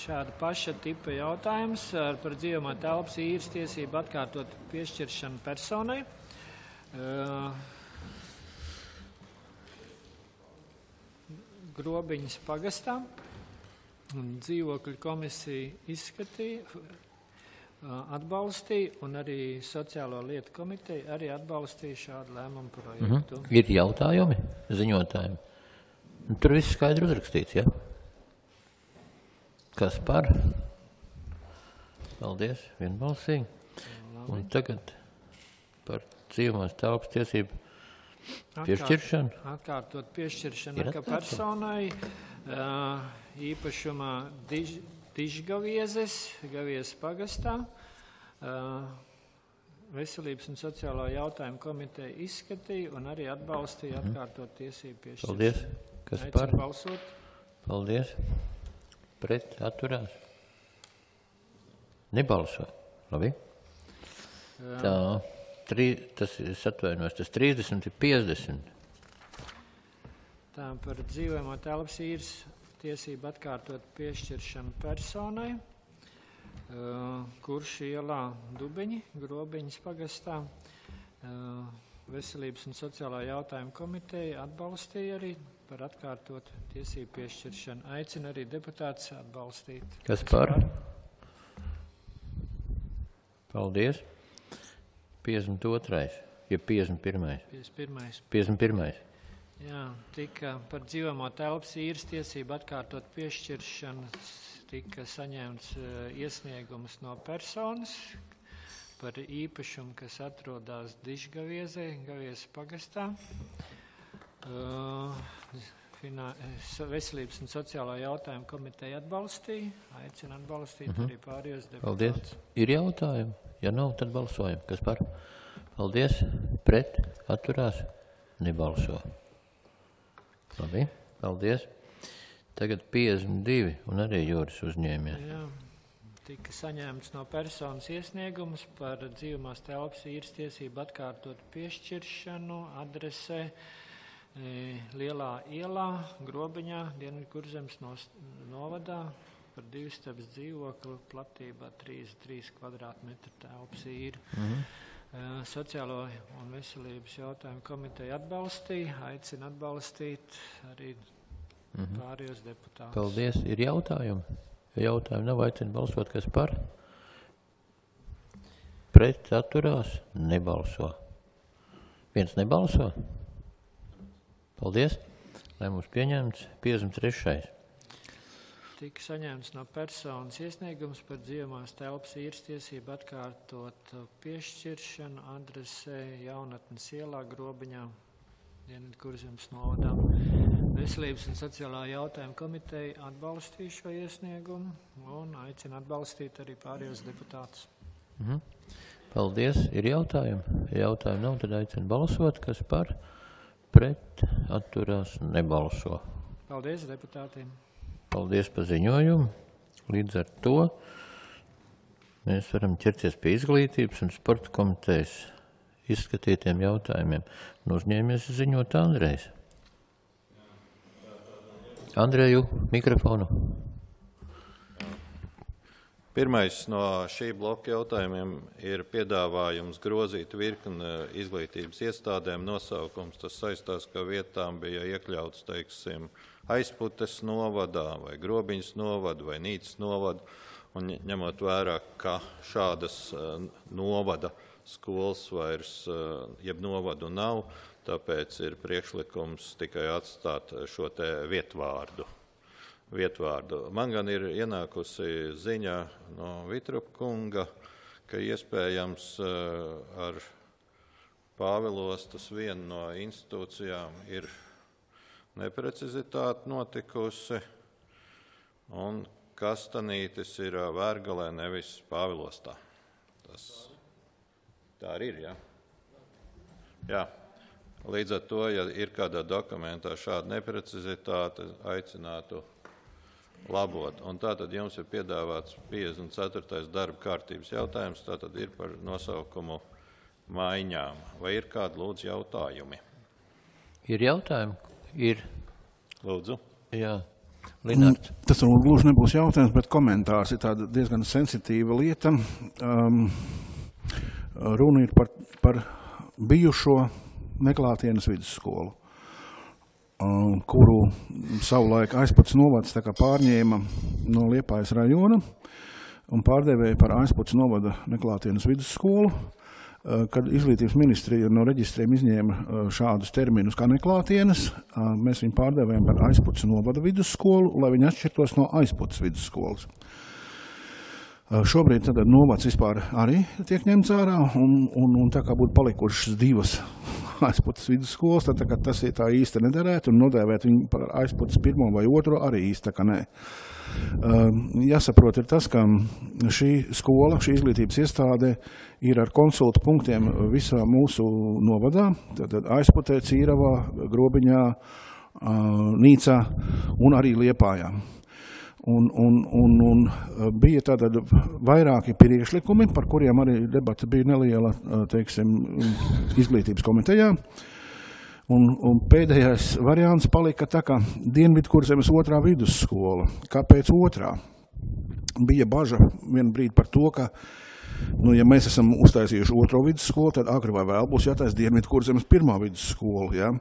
šāda paša tipa jautājums ar par dzīvojamā telpas īres tiesību atkārtot piešķiršanu personai. Uh, Grobiņas pagastā. Dzīvokļu komisija izskatīja, atbalstīja, un arī Sociālo lietu komiteja arī atbalstīja šādu lēmumu projektu. Mm-hmm. Ir jautājumi ziņotājiem? Tur viss skaidri uzrakstīts, ja? Kas par? Paldies, vienbalsīgi. Un tagad par dzīvumās telpas tiesību piešķiršanu. Atkārtot piešķiršanu kā personai īpašumā diž, Dižgaviezes, Gaviezes pagastā. Veselības un sociālā jautājuma komiteja izskatīja un arī atbalstīja atkārtot tiesību piešķiršanu. Paldies. Kas Aicinu par? Balsot. Paldies. Pret atturās. Nebalso. Labi. Tā, trī, tas ir atvainojos, tas trīsdesmit ir piecdesmit. Tā par dzīvojamo telpas īres tiesību atkārtot piešķiršanu personai, uh, kurš ielā Dubeņi, Grobiņas pagastā. Uh, Veselības un sociālā jautājuma komiteja atbalstīja arī par atkārtot tiesību piešķiršanu. Aicina arī deputātus atbalstīt. Kas par? Paldies. piecdesmit otrais, ja piecdesmit pirmais. piecdesmit pirmais. piecdesmit pirmais. Jā, tika par dzīvojamo telpas īres tiesību atkārtot piešķiršanu tika saņemts uh, iesniegums no personas par īpašumu, kas atrodas Dižgaviezē, Gaviezes pagastā. Uh, finā, Veselības un sociālā jautājuma komiteja atbalstīja, aicina atbalstīt mm-hmm. arī pārējos deputātus. Paldies. Ir jautājumi? Ja nav, tad balsojam. Kas par? Paldies. Pret atturās? Nebalso. Labi. Paldies. Tagad piecdesmit divi un arī Jūras uzņēmē. Jā. Tika saņemts no personas iesniegums par dzīvumās telpas īres tiesību atkārtot piešķiršanu adresē e, Lielā ielā, Grobiņā, Dienvidkurzemes novadā par divstabas dzīvokli platībā trīsdesmit trīs kvadrātmetru telpas īri. Mm-hmm. E, Sociālo un veselības jautājumu komiteja atbalstīja, aicina atbalstīt arī mm-hmm. pārējos deputātus. Paldies. Ir jautājumi? Ja jautājumi nav, aicina balsot, kas par? Pret atturās? Nebalso. Viens nebalso? Paldies. Lēmums pieņemts. piecdesmit trešais. Tika saņemts no personas iesniegums par dzīvumās telpas īres tiesību atkārtot piešķiršanu adresē Jaunatnes ielā, Grobiņā, Dienvidkurzemes novadā. Veselības un sociālā jautājuma komiteja atbalstīja šo iesniegumu un aicina atbalstīt arī pārējos deputātus. Mhm. Paldies. Ir jautājumi? Ja jautājumi nav, tad aicina balsot, kas par? Pret atturās nebalso. Paldies deputātiem. Paldies par ziņojumu. Līdz ar to mēs varam ķerties pie izglītības un sporta komitejas izskatītiem jautājumiem. Un uzņēmies ziņot Andrejs. Andreju, mikrofonu. Pirmais no šī bloka jautājumiem ir piedāvājums grozīt virkni izglītības iestādēm nosaukums. Tas saistās, ka vietām bija iekļauts, teiksim, Aizputes novadā vai Grobiņas novada vai Nīcas novada. Un ņemot vērā, ka šādas novada skolas vairs jeb novadu nav, tāpēc ir priekšlikums tikai atstāt šo te vietvārdu. vietvārdu. Man gan ir ienākusi ziņa no Vitrupa kunga, ka iespējams ar Pāvilostas vienu no institūcijām ir neprecizitāte notikusi, un Kastanītis ir Vērgalē, nevis Pāvilostā. Tas tā arī ir, jā? Jā. Līdz ar to, ja ir kādā dokumentā šāda neprecizitāte, aicinātu labot. Un tātad jums ir piedāvāts piecdesmit ceturtais darba kārtības jautājums, tātad ir par nosaukumu maiņām. Vai ir kādi lūdzu jautājumi? Ir jautājumi? Ir. Lūdzu. Jā. Linārds. Tas varbūt gluži nebūs jautājums, bet komentārs ir tāda diezgan sensitīva lieta. Um, runa ir par, par bijušo Neklātienes vidusskolu. kuru savulaik Aizputs novads tā kā pārņēma no Liepājas rajona un pārdevēja par Aizputs novada neklātienes vidusskolu, kad izglītības ministrija no reģistriem izņēma šādus terminus kā neklātienes, mēs viņu pārdevējam par Aizputs novada vidusskolu, lai viņi atšķirtos no Aizputs vidusskolas. Šobrīd tad novads vispār arī tiek ņemts ārā, un, un, un tā kā būtu palikušas divas Aizputs vidusskolas, tad tā kā tas tā īsti nederētu, un nodēvēt viņu par Aizputs pirmo vai otro arī īsti tā kā nē. Jāsaprot ir tas, ka šī skola, šī izglītības iestāde ir ar konsultu punktiem visā mūsu novadā, tātad Aizputē, Cīravā, Grobiņā, Nīcā un arī Liepājā. Un, un, un, un bija tātad vairāki priekšlikumi, par kuriem arī debata bija neliela, teiksim, izglītības komitejā. Un, un pēdējais variants palika tā kā Dienvidkurzemes otrā vidusskola. Kāpēc otrā? Bija baža vienu brīdi par to, ka, nu, ja mēs esam uztaisījuši otro vidusskolu, tad agri vai vēl būs jātais Dienvidkurzemes pirmā vidusskola, ja?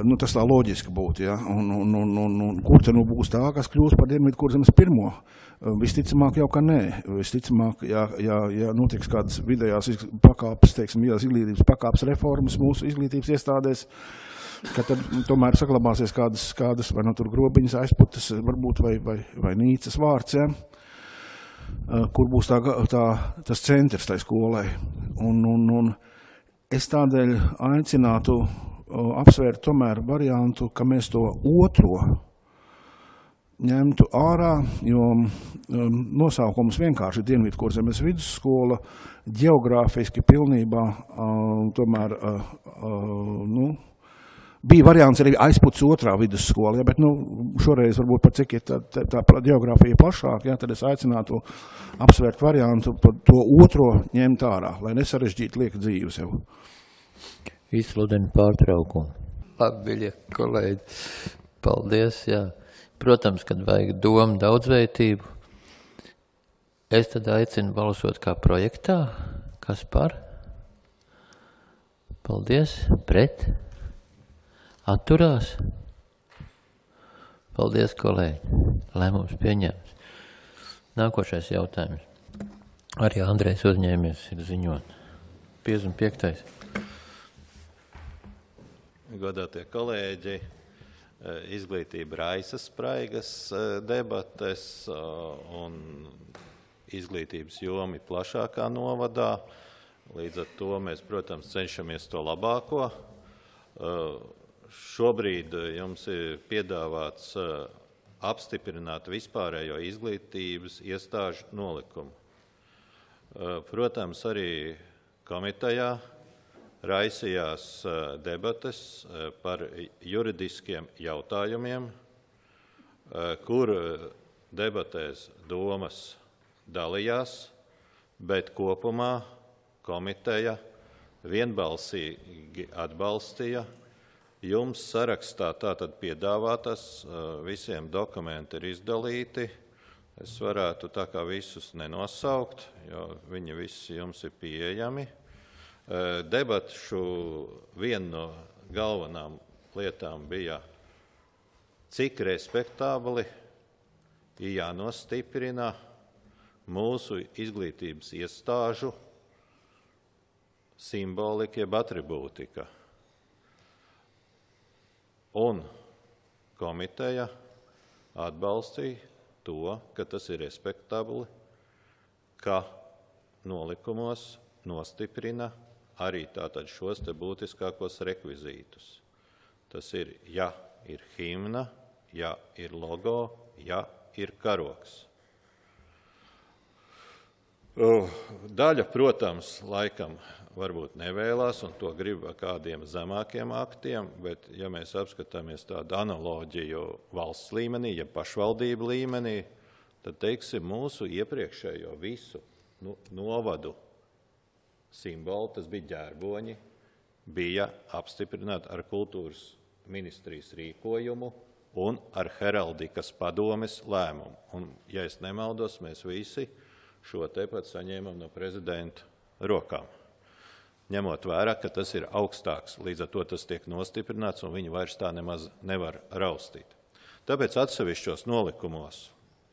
Nu, tas tā loģiski būtu, ja? Un, un, un, un, un kur te nu būs tā, kas kļūs par Dienvidkurzemes pirmo? Visticamāk jau, ka nē. Visticamāk, ja, ja, ja notiks kādas vidējās pakāpes, teiksim, vidējās izglītības pakāpes reformas mūsu izglītības iestādēs, ka tad tomēr saglabāsies kādas, kādas vai no tur Grobiņas, Aizputas, varbūt vai, vai, vai Nīcas vārds, ja? Kur būs tā, tā, tas centrs tai skolai. Un, un, un es tādēļ aicinātu apsvērt tomēr variantu, ka mēs to otro ņemtu ārā, jo um, nosaukums vienkārši Dienvidkurzemes vidusskola ģeogrāfiski pilnībā uh, tomēr uh, uh, nu, bija variants arī Aizputs otrā vidusskola, ja, bet nu, šoreiz varbūt par cik ir tā, tā, tā ģeogrāfija plašāk, ja, tad es aicinātu apsvērt variantu par to otro ņemt ārā, lai nesarežģītu liek dzīves jau. Izsludinu pārtraukumu. Labi, kolēģi, paldies, jā. Protams, kad vajag domu daudzveidību, es tad aicinu balsot kā projektā. Kas par? Paldies. Pret? Atturās? Paldies, kolēģi. Lēmums pieņemts. Nākošais jautājums. Arī Andrejs uzņēmies ir ziņot. piecdesmit piektais. Godātie kolēģi, izglītība raisa spraigas debates un izglītības jomi plašākā novadā. Līdz ar to mēs, protams, cenšamies to labāko. Šobrīd jums ir piedāvāts apstiprināt vispārējo izglītības iestāžu nolikumu. Protams, arī komitejā raisījās debates par juridiskiem jautājumiem, kur debatēs domas dalījās, bet kopumā komiteja vienbalsīgi atbalstīja. Jums sarakstā tātad piedāvātas, visiem dokumenti ir izdalīti. Es varētu tā kā visus nenosaukt, jo viņi visi jums ir pieejami. Debatšu viena no galvenām lietām bija, cik respektābli ir jānostiprina mūsu izglītības iestāžu simbolika, jeb atribūtika. Un komiteja atbalstīja to, ka tas ir respektabli, ka nolikumos nostiprina arī tātad šos te būtiskākos rekvizītus. Tas ir, ja ir himna, ja ir logo, ja ir karoks. Daļa, protams, laikam varbūt nevēlās, un to grib kādiem zemākiem aktiem, bet ja mēs apskatāmies tādu analoģiju valsts līmenī, ja pašvaldību līmenī, tad, teiksim, mūsu iepriekšējo visu nu, novadu simbolu, tas bija ģērboņi, bija apstiprināti ar kultūras ministrijas rīkojumu un ar heraldikas padomes lēmumu. Un, ja es nemaldos, mēs visi šo tepat saņēmam no prezidenta rokām. ņemot vērā, ka tas ir augstāks, līdz ar to tas tiek nostiprināts un viņi vairs tā nemaz nevar raustīt. Tāpēc atsevišķos nolikumos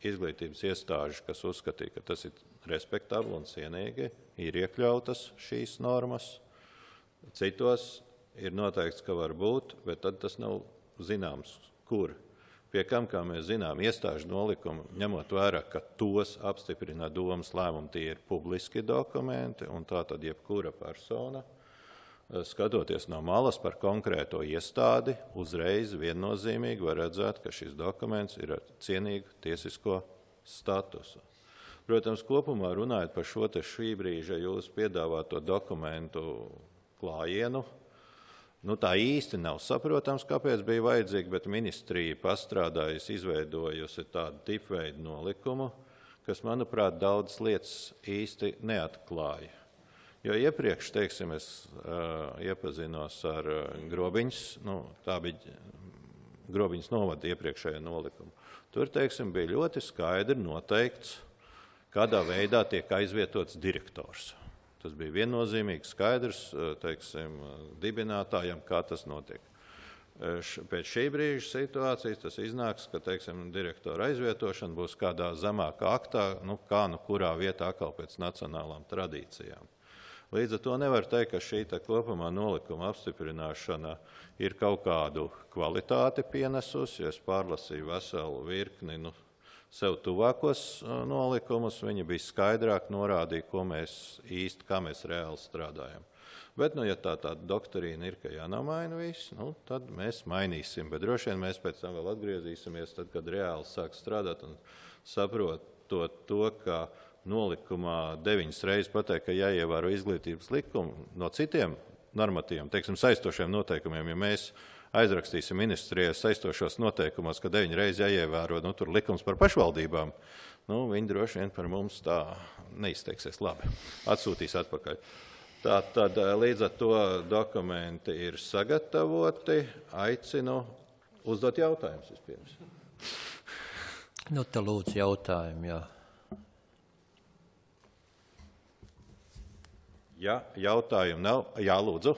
izglītības iestāžu, kas uzskatīja, ka tas ir respektabli un cienīgi, ir iekļautas šīs normas. Citos ir noteikts, ka var būt, bet tad tas nav zināms, kur. Pie kam, kā mēs zinām, iestāžu nolikumu, ņemot vērā, ka tos apstiprina domas lēmumi, tie ir publiski dokumenti, un tā tad jebkura persona, skatoties no malas par konkrēto iestādi, uzreiz viennozīmīgi var redzēt, ka šis dokuments ir ar cienīgu tiesisko statusu. Protams, kopumā runājot par šo te šī brīža jūsu piedāvāto dokumentu klājienu, nu, tā īsti nav saprotams, kāpēc bija vajadzīgi, bet ministrija pastrādājusi, izveidojusi tādu tipveidu nolikumu, kas, manuprāt, daudzas lietas īsti neatklāja. Jo iepriekš, teiksim, es uh, iepazinos ar uh, Grobiņas, nu, tā bija Grobiņas novada iepriekšējā nolikumu. Tur, teiksim, bija ļoti skaidri noteikts, kādā veidā tiek aizvietots direktors. Tas bija viennozīmīgi skaidrs, teiksim, dibinātājam, kā tas notiek. Pēc šī brīža situācijas tas iznāks, ka, teiksim, direktora aizvietošana būs kādā zemākā aktā, nu, kā nu kurā vietā atkal pēc nacionālām tradīcijām. Līdz ar to nevar teikt, ka šī kopumā nolikuma apstiprināšana ir kaut kādu kvalitāti pienesusi, ja es pārlasīju veselu virkni, nu, sev tuvākos nolikumus, viņi bija skaidrāk norādīja, ko mēs īsti, kā mēs reāli strādājam. Bet, nu, ja tā tāda doktrīna ir, ka jānamaina viss, nu, tad mēs mainīsim. Bet droši vien mēs pēc tam vēl atgriezīsimies, tad, kad reāli sāk strādāt un saprotot to, ka nolikumā deviņas reizes pateikt, ka jāievēro izglītības likumu no citiem normatīviem, teiksim, saistošiem noteikumiem, ja mēs aizrakstīsim ministrijai saistošos noteikumos, ka deviņi reizi jāievēro, nu, tur likums par pašvaldībām, nu, viņi droši vien par mums tā neizteiksies labi, atsūtīs atpakaļ. Tā tad līdz ar to dokumenti ir sagatavoti, aicinu uzdot jautājumus vispirms. Nu, te lūdzu jautājumu, jā. Ja jautājumu nav, jā, lūdzu.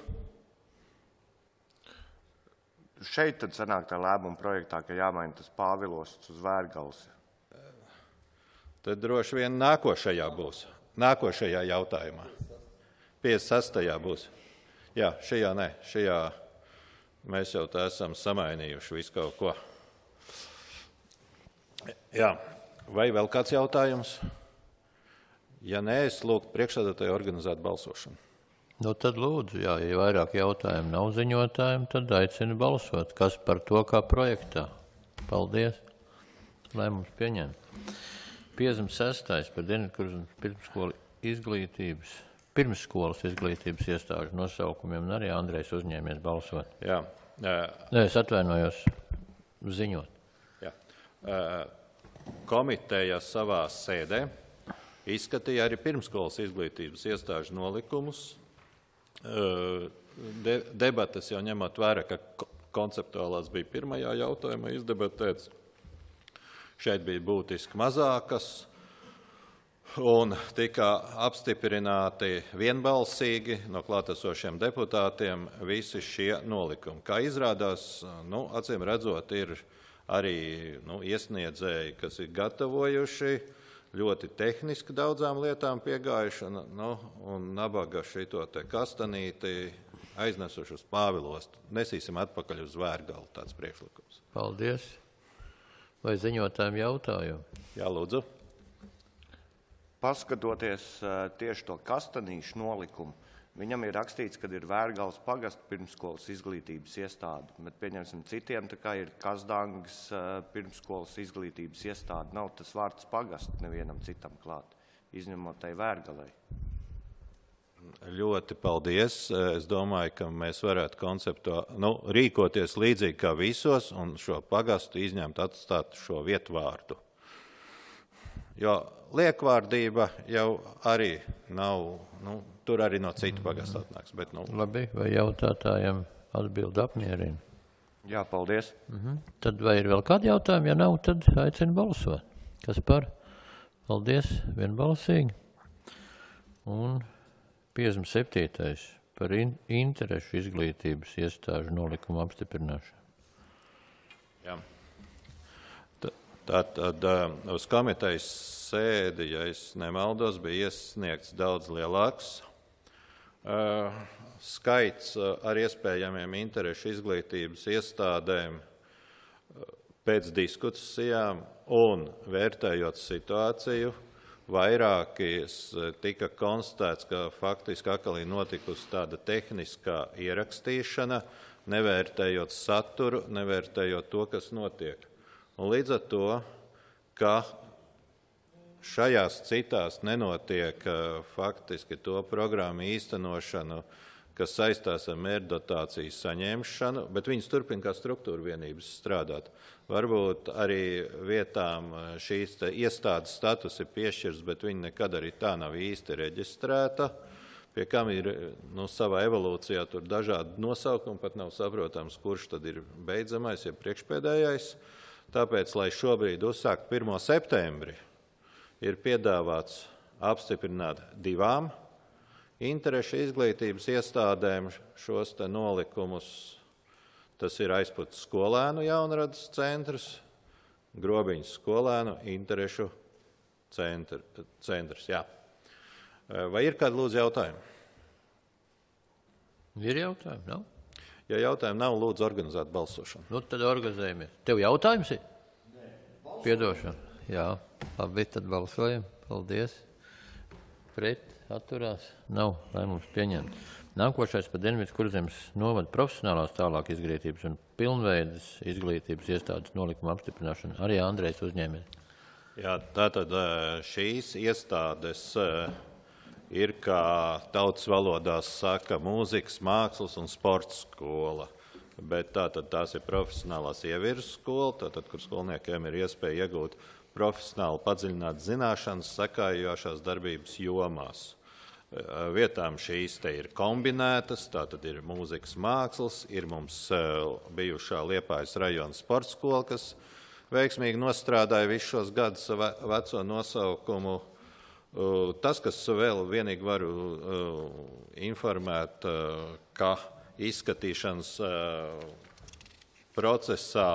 Šeit tad sanāk tā lēmuma projektā, ka jāmaina tas Pāvilosts uz Vērgals. Tad droši vien nākošajā būs. Nākošajā jautājumā. piecdesmit sestajā būs. Jā, šajā ne. Šajā mēs jau tā esam samainījuši visu kaut ko. Jā. Vai vēl kāds jautājums? Ja nē, es lūgtu priekšsēdētāju organizēt balsošanu. Nu, tad lūdzu, jā, ja vairāk jautājumu nav ziņotājiem, tad aicinu balsot. Kas par to kā projektā? Paldies. Lēmums pieņem. piecdesmit sestais par Dienvidkurzemes pirmsskolu izglītības, pirmsskolas izglītības iestāžu nosaukumiem, un arī Andrejs uzņēmies balsot. Jā. Nē, es atvainojos ziņot. Jā. Komiteja savā sēdē izskatīja arī pirmsskolas izglītības iestāžu nolikumus. De, debates jau ņemot vērā, ka konceptuālās bija pirmajā jautājumā izdebatēts. Šeit bija būtiski mazākas un tika apstiprināti vienbalsīgi no klātesošiem deputātiem visi šie nolikumi. Kā izrādās, nu, acīm redzot, ir arī nu, iesniedzēji, kas ir gatavojuši, ļoti tehniski daudzām lietām piegājuši, nu, un nabaga šito te kastanīti aiznesuši uz Pāvilostu. Nesīsim atpakaļ uz Vērgalu, tāds priekšlikums. Paldies. Vai ziņotājiem jautājumu? Jā, lūdzu. Paskatoties tieši to kastanīšu nolikumu, viņam ir rakstīts, ka ir Vērgals pagasta pirmsskolas izglītības iestāde, bet pieņemsim citiem, tā kā ir Kazdangas pirmsskolas izglītības iestāde, nav tas vārds pagast nevienam citam klāt, izņemot tai Vērgalai. Ļoti paldies. Es domāju, ka mēs varētu konceptu, nu, rīkoties līdzīgi kā visos un šo pagastu izņemt, atstāt šo vietvārdu. Jo liekvārdība jau arī nav, nu, tur arī no citu pagastu atnāks. Bet, nu... Labi, vai jautātājiem atbildi apmierina? Jā, paldies. Mhm. Tad vai ir vēl kādi jautājumi? Ja nav, tad aicinu balsot. Kas par? Paldies, vienbalsīgi. Un piecdesmit septītais par in interešu izglītības iestāžu nolikumu apstiprināšanu. Jā. Tātad uz komitejas sēdi, ja es nemaldos, bija iesniegts daudz lielāks uh, skaits uh, ar iespējamiem interešu izglītības iestādēm uh, pēc diskusijām un vērtējot situāciju, vairākies tika konstatēts, ka faktiski atkal ir notikusi tāda tehniskā ierakstīšana, nevērtējot saturu, nevērtējot to, kas notiek. Un līdz ar to, ka šajās citās nenotiek faktiski to programmu īstenošanu, kas saistās ar mērķdotāciju saņemšanu, bet viņas turpina kā struktūra vienības strādāt. Varbūt arī vietām šīs iestādes status ir piešķirs, bet viņa nekad arī tā nav īsti reģistrēta, pie kam ir nu, savā evolūcijā tur dažādi nosaukumi, pat nav saprotams, kurš tad ir beidzamais, ja priekšpēdējais. Tāpēc, lai šobrīd uzsākt pirmo septembri, ir piedāvāts apstiprināt divām interešu izglītības iestādēm šos te nolikumus. Tas ir Aizputas skolēnu jaunradas centrs, Grobiņas skolēnu interešu centr, centrs. Jā. Vai ir kādi lūdzu jautājumi? Ir jautājumi, nav? Ja jautājumi nav, lūdzu organizēt balsošanu. Nu, tad organizējamies. Tev jautājums ir? Nē. Piedošana. Jā, labi, tad balsojam. Paldies. Pret, atturās. Nav, lai mums pieņemt. Nākošais par Dienvidu Kurzemes novada profesionālās tālāk izglītības un pilnveidas izglītības iestādes nolikuma apstiprināšanu. Arī Andrejs uzņēmē. Jā, tātad šīs iestādes ir, kā tautas valodās saka, mūzikas, mākslas un sporta skola. Bet tātad tās ir profesionālās ievirzes skola, tātad, kur skolniekiem ir iespēja iegūt profesionāli padziļināt zināšanas sakājošās darbības jomās. Vietām šīs te ir kombinētas, tātad ir mūzikas mākslas, ir mums bijušā Liepājas rajona sporta skola, kas veiksmīgi nostrādāja visus šos gadus veco nosaukumu. Tas, kas vēl vienīgi varu informēt, ka izskatīšanas procesā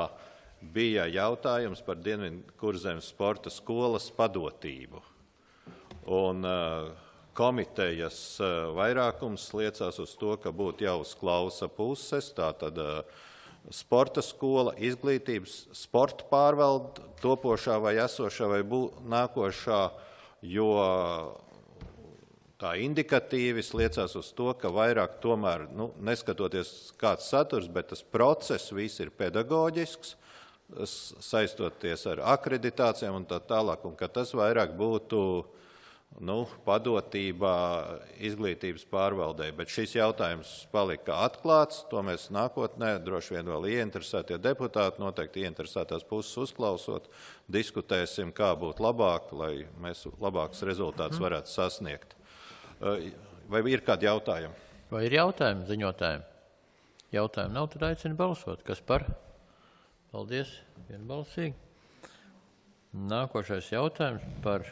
bija jautājums par Dienvidu Kurzemes sporta skolas padotību. Un komitejas vairākums liecās uz to, ka būtu jāuzklausa puses, tātad sporta skola, izglītības, sporta pārvalde, topošā vai esošā vai bū, nākošā, jo tā indikatīvis liecās uz to, ka vairāk tomēr, nu, neskatoties kāds saturs, bet tas process viss ir pedagoģisks, saistoties ar akreditācijām un tā tālāk, un ka tas vairāk būtu nu, padotībā izglītības pārvaldē. Bet šis jautājums palika atklāts, to mēs nākotnē droši vien vēl ieinteresētie deputāti, noteikti ieinteresētās puses uzklausot, diskutēsim, kā būtu labāk, lai mēs labākus rezultātus varētu sasniegt. Vai ir kādi jautājumi? Vai ir jautājumi ziņotājiem? Jautājumi nav, tad aicinu balsot. Kas par? Paldies, vienbalsīgi. Nākošais jautājums par...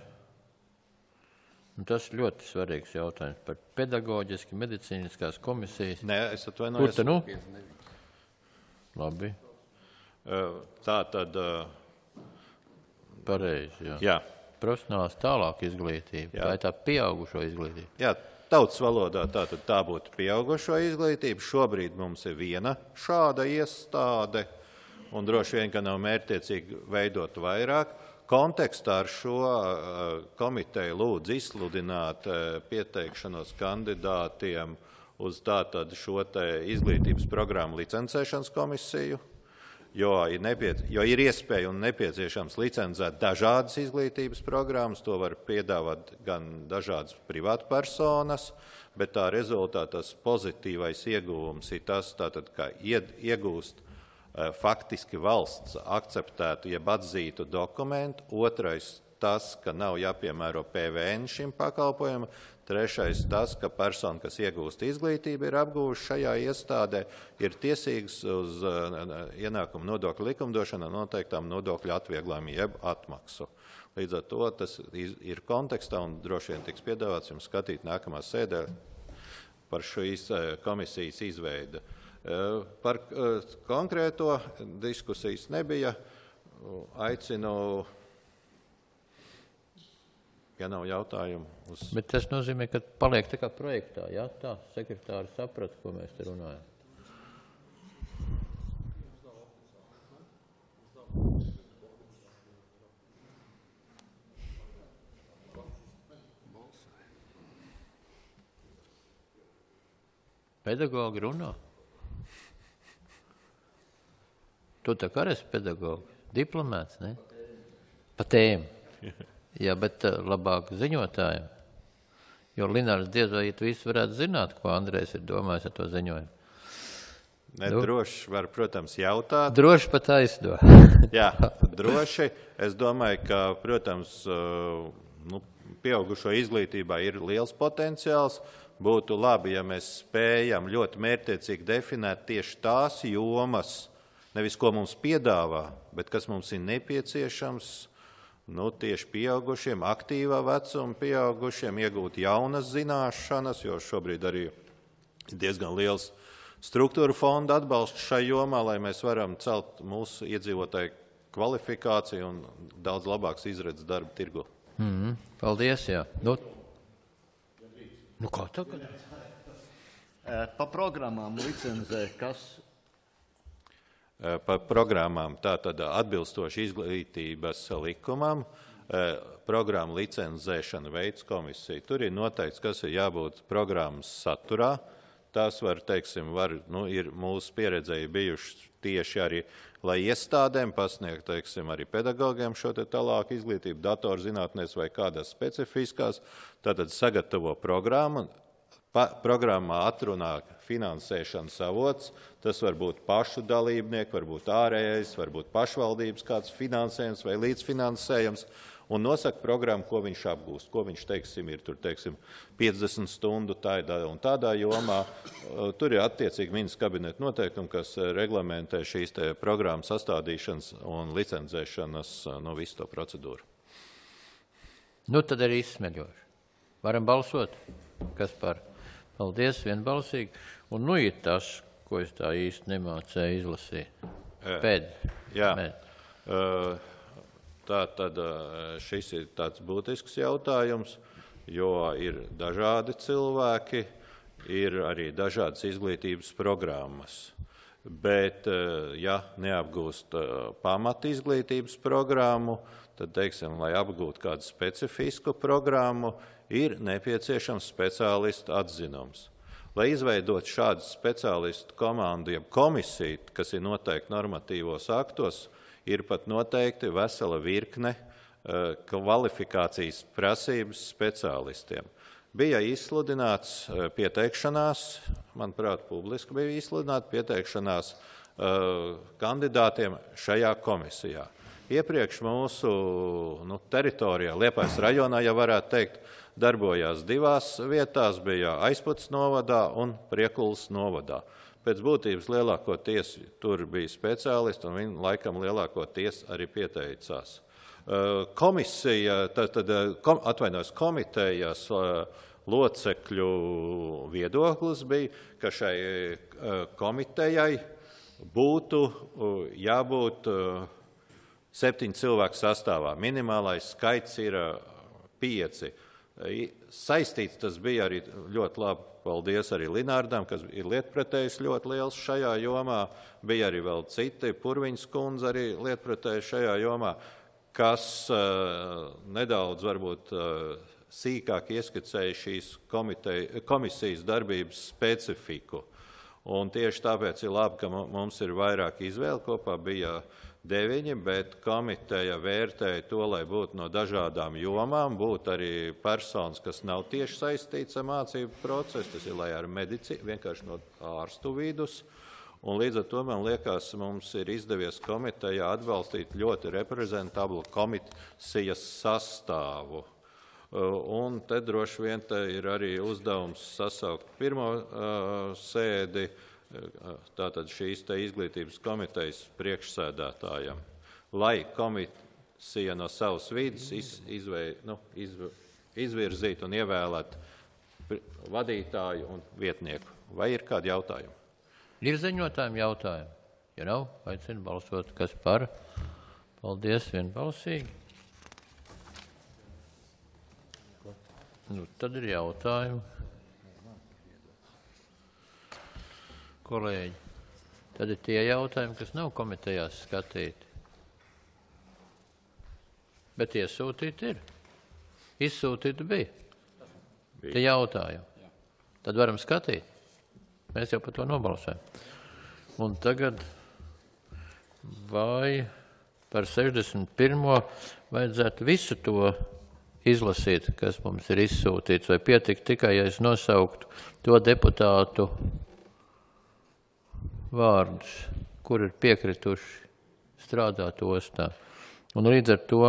Tas ir ļoti svarīgs jautājums par pedagoģiski medicīniskās komisijas. Nē, es atvainojos. Kur te nu? Labi. Tā tad... Pareizi, jā. Jā. Profesionālās tālāk izglītība. Jā. Tā ir tā pieaugušo izglītība. Jā, tautas valodā tā tad tā būtu pieaugušo izglītība. Šobrīd mums ir viena šāda iestāde, un droši vien, ka nav mērķtiecīgi veidot vairāk. Kontekstā ar šo komiteju lūdzu izsludināt pieteikšanos kandidātiem uz tātad šo te izglītības programmu licencēšanas komisiju, jo ir, nepiec, jo ir iespēja un nepieciešams licencēt dažādas izglītības programmas, to var piedāvāt gan dažādas privātpersonas, bet tā rezultātā tas pozitīvais ieguvums ir tas, tātad, ka iegūst faktiski valsts akceptētu, jeb atzītu dokumentu. Otrais tas, ka nav jāpiemēro P V N šim pakalpojumam. Trešais tas, ka persona, kas iegūst izglītību, ir apgūvuši šajā iestādē, ir tiesīgs uz ienākumu nodokļu likumdošanu noteiktām nodokļu atvieglojumu jeb atmaksu. Līdz ar to tas ir kontekstā un droši vien tiks piedāvāts jums skatīt nākamā sēdē par šīs komisijas izveidi. Par konkrēto diskusijas nebija. Aicinu, ja nav jautājumu. Uz... Bet tas nozīmē, ka paliek tā kā projektā, jā? Tā sekretāri saprata, ko mēs te runājam. Pedagogi runā. Tu tā kā esi pedagogi, diplomēts, ne? Pa tēmu. Jā, bet labāk ziņotājiem. Jo Linārs diez vai tu visu varētu zināt, ko Andrejs ir domājis ar to ziņojumu. Ne, nu, droši var, protams, jautāt. Droši pat aizdo. Jā, droši. Es domāju, ka, protams, nu, pieaugušo izglītībā ir liels potenciāls. Būtu labi, ja mēs spējam ļoti mērķtiecīgi definēt tieši tās jomas, nevis ko mums piedāvā, bet kas mums ir nepieciešams, nu, tieši pieaugušiem, aktīvā vecuma pieaugušiem, iegūt jaunas zināšanas, jo šobrīd arī diezgan liels struktūra fonda atbalsts šai jomā, lai mēs varam celt mūsu iedzīvotāju kvalifikāciju un daudz labāks izredzes darba tirgu. Mm-hmm. Paldies, jā. Nu, nu kā tagad? Pa programmām licenzē, kas? Pa programmām, tātad atbilstoši izglītības likumam, programmu licenzēšana veids komisija. Tur ir noteikts, kas ir jābūt programmas saturā. Tās var, teiksim, var, nu, ir mūsu pieredzēji bijuši tieši arī, lai iestādēm pasniegt, teiksim, arī pedagogiem šo te tālāku izglītību, datorzinātnēs vai kādās specifiskās, tātad sagatavo programmu, pa, programmā atrunā finansēšanas avots, tas var būt pašu dalībnieki, var būt ārējais, var būt pašvaldības kāds finansējums vai līdzfinansējums, un nosaka programmu, ko viņš apgūst, ko viņš, teiksim, ir tur, teiksim, piecdesmit stundu tādā un tādā jomā. Tur ir attiecīgi ministrs kabineta noteikumi, kas reglamentē šīs te programmas sastādīšanas un licenzēšanas, nu, visu to procedūru. Nu, tad arī izsmeļoši. Varam balsot? Kas par? Paldies, vienbalsīgi. Un nu ir tas, ko es tā īsti nemācēju izlasīt. Pēd. Jā. Pēd. Uh, Tā tad šis ir tāds būtisks jautājums, jo ir dažādi cilvēki, ir arī dažādas izglītības programmas. Bet, ja neapgūst pamat izglītības programmu, tad, teiksim, lai apgūtu kādu specifisku programmu, ir nepieciešams speciālistu atzinums. Lai izveidot šādu speciālistu komandu, jeb komisiju, kas ir noteikti normatīvos aktos, ir pat noteikti vesela virkne kvalifikācijas prasības speciālistiem. Bija izsludināts pieteikšanās, manuprāt, publiski bija izsludināta pieteikšanās kandidātiem šajā komisijā. Iepriekš mūsu nu, teritorijā, Liepājas rajonā, ja varētu teikt, darbojās divās vietās, bija Aizputs novadā un Priekulas novadā. Pēc būtības lielākoties tur bija speciālisti, un viņi laikam lielākoties arī pieteicās. Komisija, tad, tad kom, atvainojos, komitejas locekļu viedoklis bija, ka šai komitejai būtu jābūt septiņu cilvēku sastāvā. Minimālais skaits ir pieci. Saistīts tas bija arī ļoti labi. Paldies arī Linārdam, kas ir lietpratējs ļoti liels šajā jomā. Bija arī vēl citi, Purviņas kundze arī lietpratējs šajā jomā, kas uh, nedaudz varbūt uh, sīkāk ieskicēja šīs komiteja, komisijas darbības specifiku. Un tieši tāpēc ir labi, ka mums ir vairāk izvēle, kopā bija deviņi, bet komiteja vērtēja to, lai būtu no dažādām jomām, būtu arī personas, kas nav tieši saistīts ar mācību procesu, tas ir, lai ar medicīnu, vienkārši no ārstu vidus. Un līdz ar to, man liekas, mums ir izdevies komitejā atbalstīt ļoti reprezentablu komisijas sastāvu. Un te droši vien te ir arī uzdevums sasaukt pirmo uh, sēdi, tātad šīs te izglītības komitejas priekšsēdētājam, lai komisija no savas vidas iz, izvei, nu, iz, izvirzītu un ievēlētu vadītāju un vietnieku. Vai ir kādi jautājumi? Ir ziņotājiem jautājumi? Ja nav, aicinu balsot, kas par. Paldies, vienbalsīgi. Nu, tad ir jautājumi. Kolēģi, tad ir tie jautājumi, kas nav komitejās skatīti. Bet iesūtīti ir. Izsūtīti bija. bija. Te jautājumi. Tad varam skatīt. Mēs jau par to nobalsojam. Un tagad vai par sešdesmit pirmo vajadzētu visu to izlasīt, kas mums ir izsūtīts, vai pietikt tikai, ja es nosauktu to deputātu vārdus, kur ir piekrituši strādāt ostā. Un līdz ar to,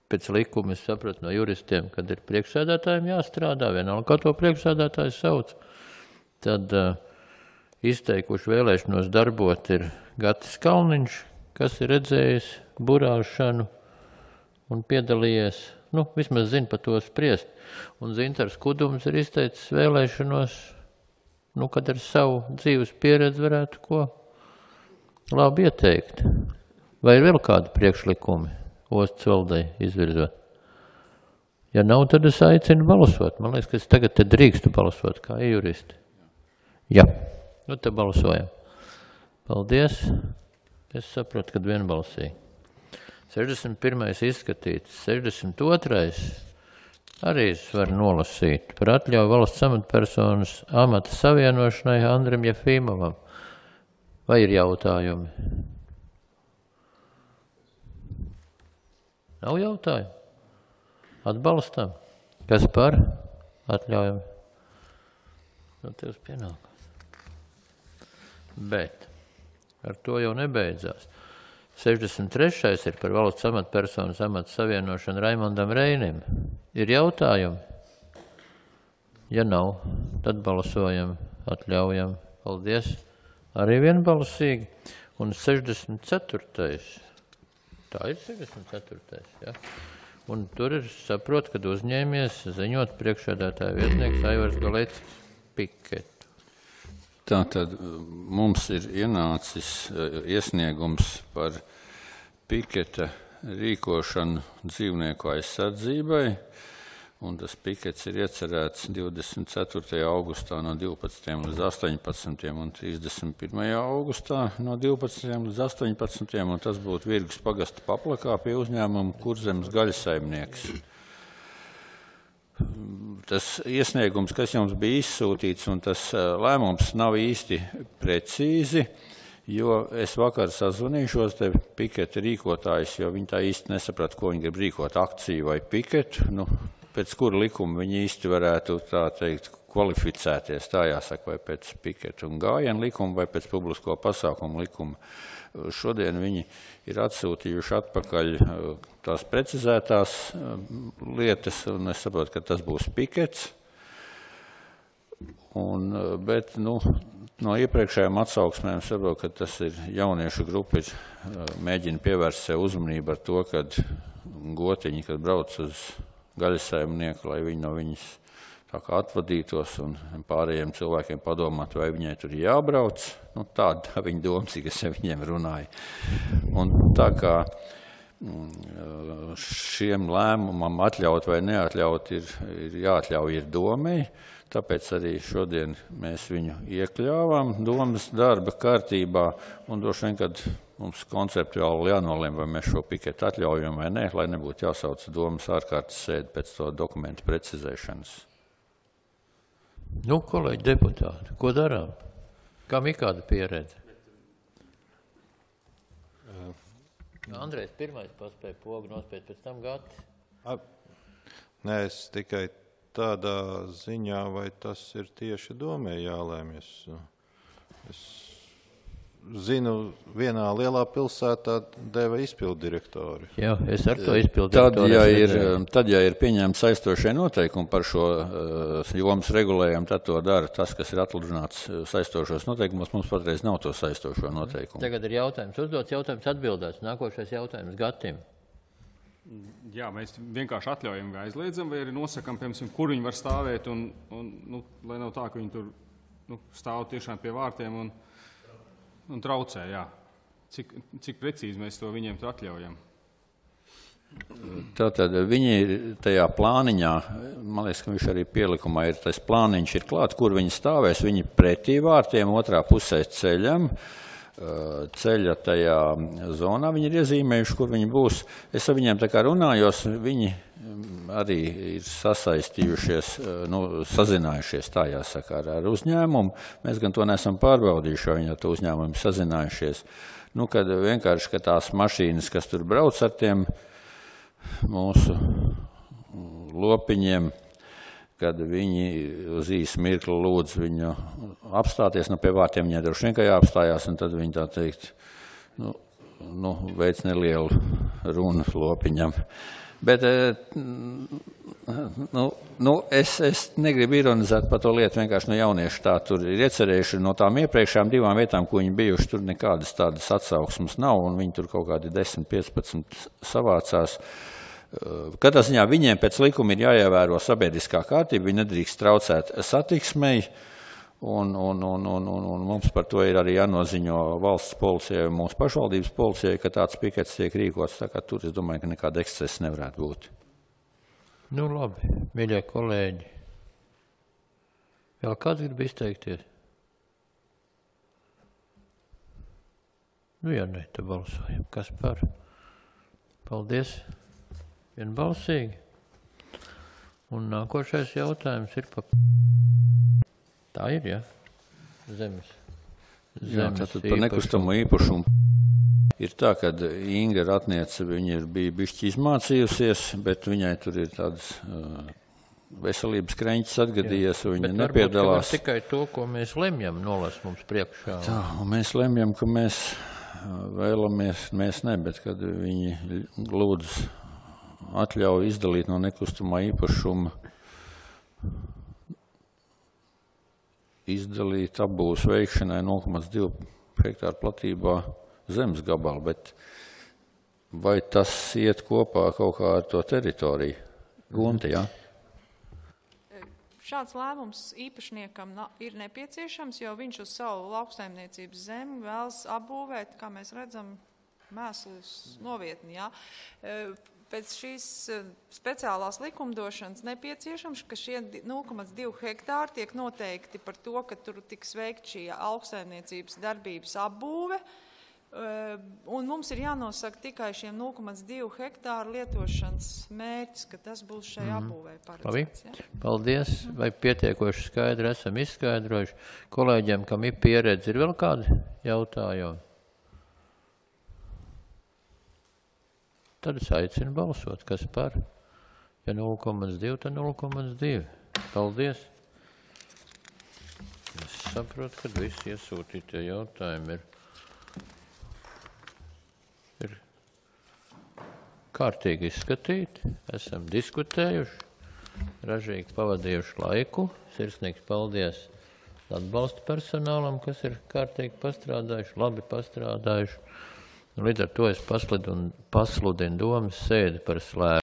pēc likuma es sapratu no juristiem, kad ir priekšsēdētājiem jāstrādā, vienalga, kā to priekšsēdētājs sauc, tad uh, izteikuši vēlēšanos darbot ir Gatis Kalniņš, kas ir redzējis burāšanu un piedalījies, nu, vismaz zina par to spriest. Un Zintars Kudums ir izteicis vēlēšanos, nu, kad ar savu dzīves pieredzi varētu ko labi ieteikt. Vai ir vēl kādi priekšlikumi ostas valdei izvirzot? Ja nav, tad es aicinu balsot. Man liekas, ka es tagad te drīkstu balsot kā juristi. Jā, nu te balsojam. Paldies. Es saprotu, kad vienbalsīgi. sešdesmit pirmais izskatīts, sešdesmit otrais arī es varu nolasīt par atļauju valsts amatpersonas amata savienošanai Andrim Jefīmovam. Vai ir jautājumi? Nav jautājumu? Atbalstam? Kas par? Atļaujam? Nu, tev pienākās. Bet ar to jau nebeidzās. sešdesmit trešais ir par valsts amatpersonas amata savienošanu Raimondam Reinim. Ir jautājumi? Ja nav, tad balsojam, atļaujam. Paldies. Arī vienbalsīgi. Un sešdesmit ceturtais. Tā ir sešdesmit ceturtais, ja? Un tur ir saprot, kad uzņēmies ziņot priekšsēdētāja vietnieks Aivars Galeckis Piketu. Tātad mums ir ienācis iesniegums par piketa rīkošanu dzīvnieku aizsardzībai, un tas pikets ir iecerēts divdesmit ceturtajā augustā no divpadsmitiem līdz astoņpadsmitiem un trīsdesmit pirmajā augustā no divpadsmitiem līdz astoņpadsmitiem, un tas būtu Virgas pagasta paplakā pie uzņēmuma Kurzemes gaļasaimnieks. Tas iesniegums, kas jums bija izsūtīts, un tas lēmums nav īsti precīzi, jo es vakar sazvanīšos te piketa rīkotājus, jo viņi tā īsti nesaprata, ko viņi grib rīkot, akciju vai piketu, nu, pēc kura likuma viņi īsti varētu, tā teikt, kvalificēties, tā jāsaka, vai pēc piketa un gājienu likuma, vai pēc publisko pasākumu likuma. Šodien viņi ir atsūtījuši atpakaļ tās precizētās lietas, un es saprotu, ka tas būs pikets. Un, bet, nu, no iepriekšējām atsauksmēm saprotu, ka tas ir jauniešu grupa, ir mēģina pievērst sev uzmanību ar to, kad gotiņi, kad brauc uz gaļasaimnieku, lai viņi no viņas tā kā atvadītos un pārējiem cilvēkiem padomāt, vai viņai tur jābrauc. Nu, tāda viņa doma, cik es viņiem runāju. Un tā kā šiem lēmumam atļaut vai neatļaut ir, ir jāatļauj ir domai, tāpēc arī šodien mēs viņu iekļāvām domas darba kārtībā, un droši vien, kad mums konceptuāli jānolēm, vai mēs šo piketu atļaujam vai nē, lai nebūtu jāsauc domas ārkārtas sēdi pēc to dokumentu precizēšanas. Nu, kolēģi deputāti, ko darām? Kam ir kāda pieredze? Andrejs pirmais paspēja pogu nospēt, pēc tam Gatis. Nē, es tikai tādā ziņā, vai tas ir tieši domē jālēmies. Es zinu, vienā lielā pilsētā deva izpildu direktori. Jā, es ar to izpildu tad, direktori. Ja ir, tad, ja ir pieņemts saistošie noteikumi par šo uh, jomas regulējumu, tad to dara tas, kas ir atludināts saistošos noteikumos. Mums patreiz nav to saistošo noteikumu. Tagad ir jautājums uzdots, jautājums atbildēts. Nākošais jautājums Gatim. Jā, mēs vienkārši atļaujam vai aizliedzam, vai arī nosakam, piemēram, kur viņi var stāvēt, un, un nu, lai nav tā, ka viņi tur nu, stāv tiešām pie vārtiem un, un traucē, jā. Cik, cik precīzi mēs to viņiem tur atļaujam? Tātad viņi ir tajā plāniņā, man liekas, ka viņš arī pielikumā ir, tas plāniņš ir klāt, kur viņi stāvēs, viņi pretī vārtiem, otrā pusē ceļam, ceļa tajā zonā viņi ir iezīmējuši, kur viņi būs. Es ar viņiem tā kā runājos, viņi arī ir sasaistījušies, nu, sazinājušies, tā jāsaka, ar uzņēmumu. Mēs gan to neesam pārbaudījuši, jo viņi ar to uzņēmumu sazinājušies. Nu, kad vienkārši, ka tās mašīnas, kas tur brauc ar tiem mūsu lopiņiem, kad viņi uz īsu mirkli lūdz viņu apstāties, nu pie vārtiem viņai droši vien, ka jāapstājās, un tad viņi tā teikt, nu, nu veic nelielu runu lopiņam. Bet, nu, nu es, es negribu ironizēt par to lietu, vienkārši no jaunieši tā tur ir iecerējuši, no tām iepriekšējām divām vietām, ko viņi bijuši, tur nekādas tādas atsauksmes nav, un viņi tur kaut kādi desmit, piecpadsmit savācās. Katrā ziņā viņiem pēc likuma ir jāievēro sabiedriskā kārtība, viņi nedrīkst traucēt satiksmei, un, un, un, un, un, un mums par to ir arī jānoziņo valsts policijai un mūsu pašvaldības policijai, ka tāds pikets tiek rīkots, tā kā tur es domāju, ka nekāda ekscesa nevarētu būt. Nu labi, mīļie kolēģi. Vēl kāds grib izteikties? Nu, ja ne, tad balsojam. Kas par? Paldies. Vienbalsīgi. Un nākošais jautājums ir par... Tā ir, ja? Zemes. Zemes Jā, tātad par nekustamo īpašumu. Ir tā, ka Inga Ratniece, viņa ir bija bišķi izmācījusies, bet viņai tur ir tādas uh, veselības kreņķis atgadījies, un viņa nepiedalās. Bet tikai to, ko mēs lemjam, nolas mums priekšā. Tā, un mēs lemjam, ka mēs vēlamies, mēs ne, bet kad viņi lūdz atļauju izdalīt no nekustamā īpašuma, izdalīt apbūves veikšanai nulle komats divi hektāru platībā zemes gabalu, bet vai tas iet kopā kaut kā ar to teritoriju? Gunti, jā? Šāds lēmums īpašniekam ir nepieciešams, jo viņš uz savu lauksaimniecības zemi vēlas apbūvēt, kā mēs redzam, mēslus novietni, jā. Pēc šīs speciālās likumdošanas nepieciešams, ka šie nulle komats divi hektāri tiek noteikti par to, ka tur tiks veikt šī lauksaimniecības darbības apbūve, un mums ir jānosaka tikai šiem nulle komats divi hektāru lietošanas mērķis, ka tas būs šai apbūvē paredzēts. Ja? Paldies, vai pietiekoši skaidri esam izskaidrojuši. Kolēģiem, kam ir pieredze, ir vēl kādi jautājumi? Tad es aicinu balsot, kas par. Ja nulle komats divi, tad nulle komats divi. Paldies. Es saprotu, ka visi iesūtītie jautājumi ir, ir kārtīgi izskatīti. Esam diskutējuši, ražīgi pavadījuši laiku. Sirsnīgs paldies atbalsta personālam, kas ir kārtīgi pastrādājuši, labi pastrādājuši. Līdz ar to es pasludinu domas sēdi par slēgtu.